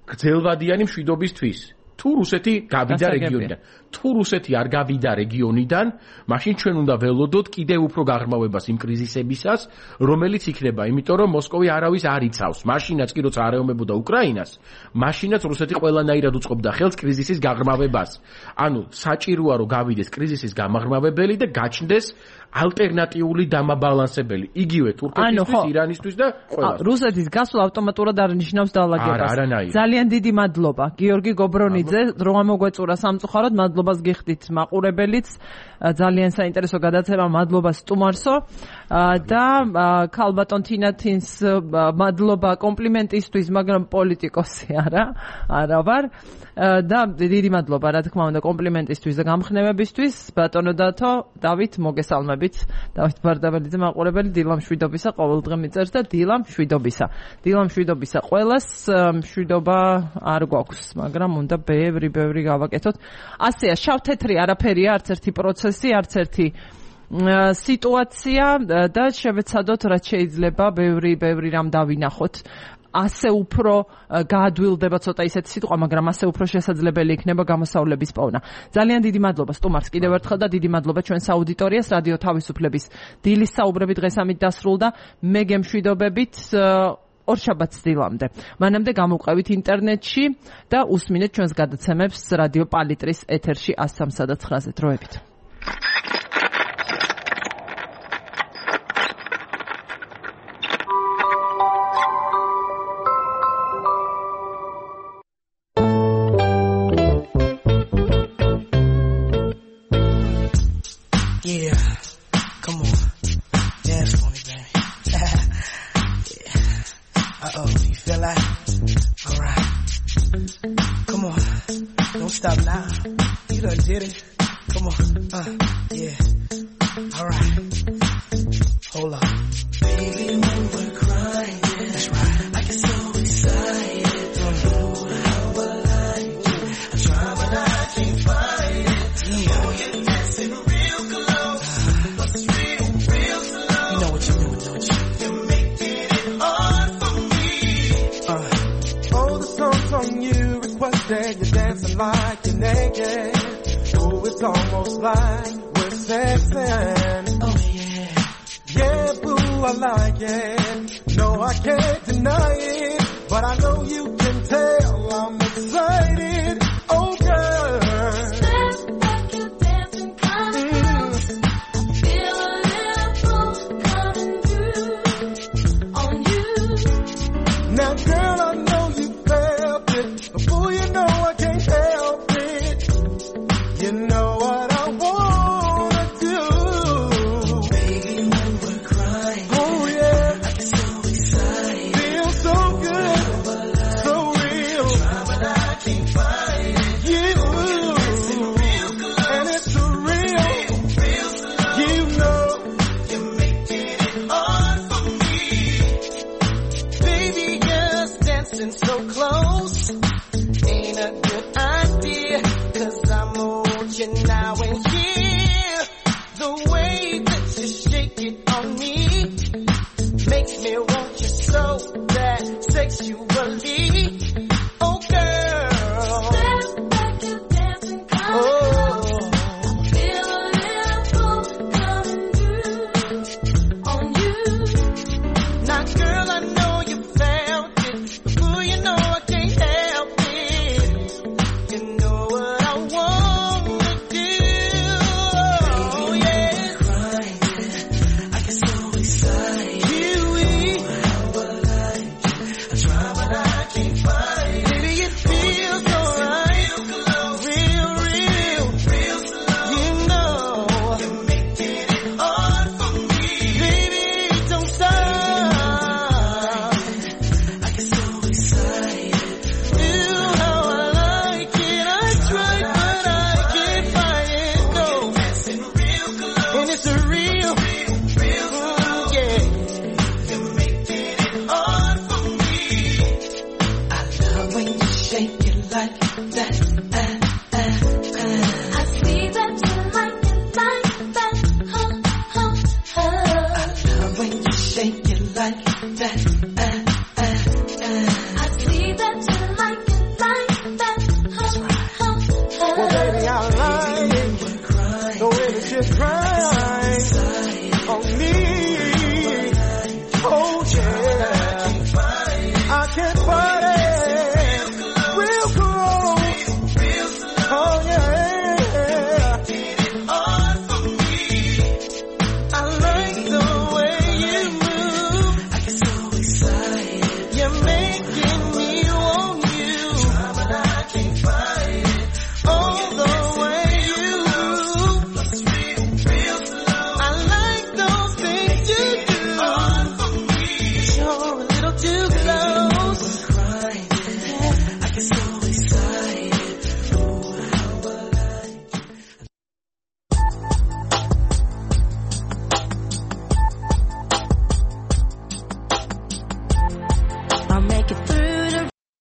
გრძელვადიანი მშვიდობისთვის. თუ რუსეთი გავიდა რეგიონიდან, თუ რუსეთი არ გავიდა რეგიონიდან, მაშინ ჩვენ უნდა ველოდოთ კიდევ უფრო გაღრმავებას იმ კრიზისებისას, რომელიც იქნება, იმიტომ რომ მოსკოვი არავის არ იცავს. მაშინაც კი როცა არეომებოდა უკრაინას, მაშინაც რუსეთი ყველანაირად უწყობდა ხელს კრიზისის გაღრმავებას. ანუ საჭიროა რომ გავიდეს კრიზისის გამაღრმავებელი და გაჩნდეს ალტერნატიული დამაბალანსებელი, იგივე თურქეთისთვის, ირანისთვის და ყველას.
რუსეთის გასვლა ავტომატურად არ ნიშნავს დაალაგებას. ძალიან დიდი მადლობა გიორგი გობრონიძე, რომ ამოგვეწურა სამწუხაროდ, მადლობას გიხდით მაყურებელიც. ძალიან საინტერესო გადაცემა, მადლობა სტუმარსო და ქალბატონ თინათინს მადლობა კომპლიმენტისთვის, მაგრამ პოლიტიკოსი არა, არა ვარ. და დიდი მადლობა რა თქმა უნდა კომპლიმენტისთვის და გამხნევებისთვის. ბატონო დათო, დავით მოგესალმებით. დავით ბარდაბელიძე მაყურებელი, დილა მშვიდობისა, ყოველდღე მიწერს და დილა მშვიდობისა. დილა მშვიდობისა ყველას, მშვიდობა არ გვაქვს, მაგრამ უნდა ბევრი ბევრი გავაკეთოთ. ასეა, შავ-თეთრი არაფერია, არც ერთი პროცესი, არც ერთი სიტუაცია და შევეცადოთ რაც შეიძლება ბევრი ბევრი რამ დავინახოთ. ასე უფრო გაადვილდება ცოტა ისეთი სიტყვა, მაგრამ ასე უფრო შესაძლებელი იქნება გამოსავლების პოვნა. ძალიან დიდი მადლობა სტუმარს კიდევ ერთხელ და დიდი მადლობა ჩვენს აუდიტორიას. რადიო თავისუფლების დილის საუბრები დღეს ამით დასრულდა. მე გემშვიდობებით ორშაბათს დილამდე. მანამდე გამოვყევით ინტერნეტში და უსმინეთ ჩვენს გადაცემებს რადიო პალიტრის ეთერში ას სამსა და ცხრაზე. დროებით.
Stop now. You done did it. Come on. Uh, yeah. All right. Hold on. Baby, when we're crying, that's right. I get so excited. Don't know how I like you. I try, but I can't find it. Yeah. Oh, you're dancing real close. But it's real, real slow. You know what you're doing, don't you? You're making it hard for me. Uh. Oh, the song's on you. Requested you're dancing like you're naked. Oh, it's almost like we're sexing. Oh yeah, yeah, boo, I like it. No, I can't deny it, but I know you can tell I'm excited. Oh girl, dance like you're dancing, coming close. Feel a little pulse coming through on you. Now, girl, I know you felt it. Before you know I can't help it. You know what I wanna do. Baby, when we're crying, oh yeah, I get so excited. Feel so good, so real. I try, but I can't find it. You, and it's so real, real slow. You know, you're making it hard for me. Baby, just dancing so close. Ain't a good idea, cause I'm watching now and here. The way that you shake it on me makes me want you so bad sexually. Oh girl, dance like you're dancing, oh, feel a little pulse coming through on you. Now girl, I know you felt it, before you know I can't help it. You know what I wanna do. Oh yeah, crying, I get so excited. Kiwi, how I like you. I try, but I can't find it. Baby, it feels so right, real, real, real slow. You know, you're making it hard for me. Baby, don't stop. I get so excited. Feel how I like it. I try, but I can't find it. No, and it's a real, shake it like that.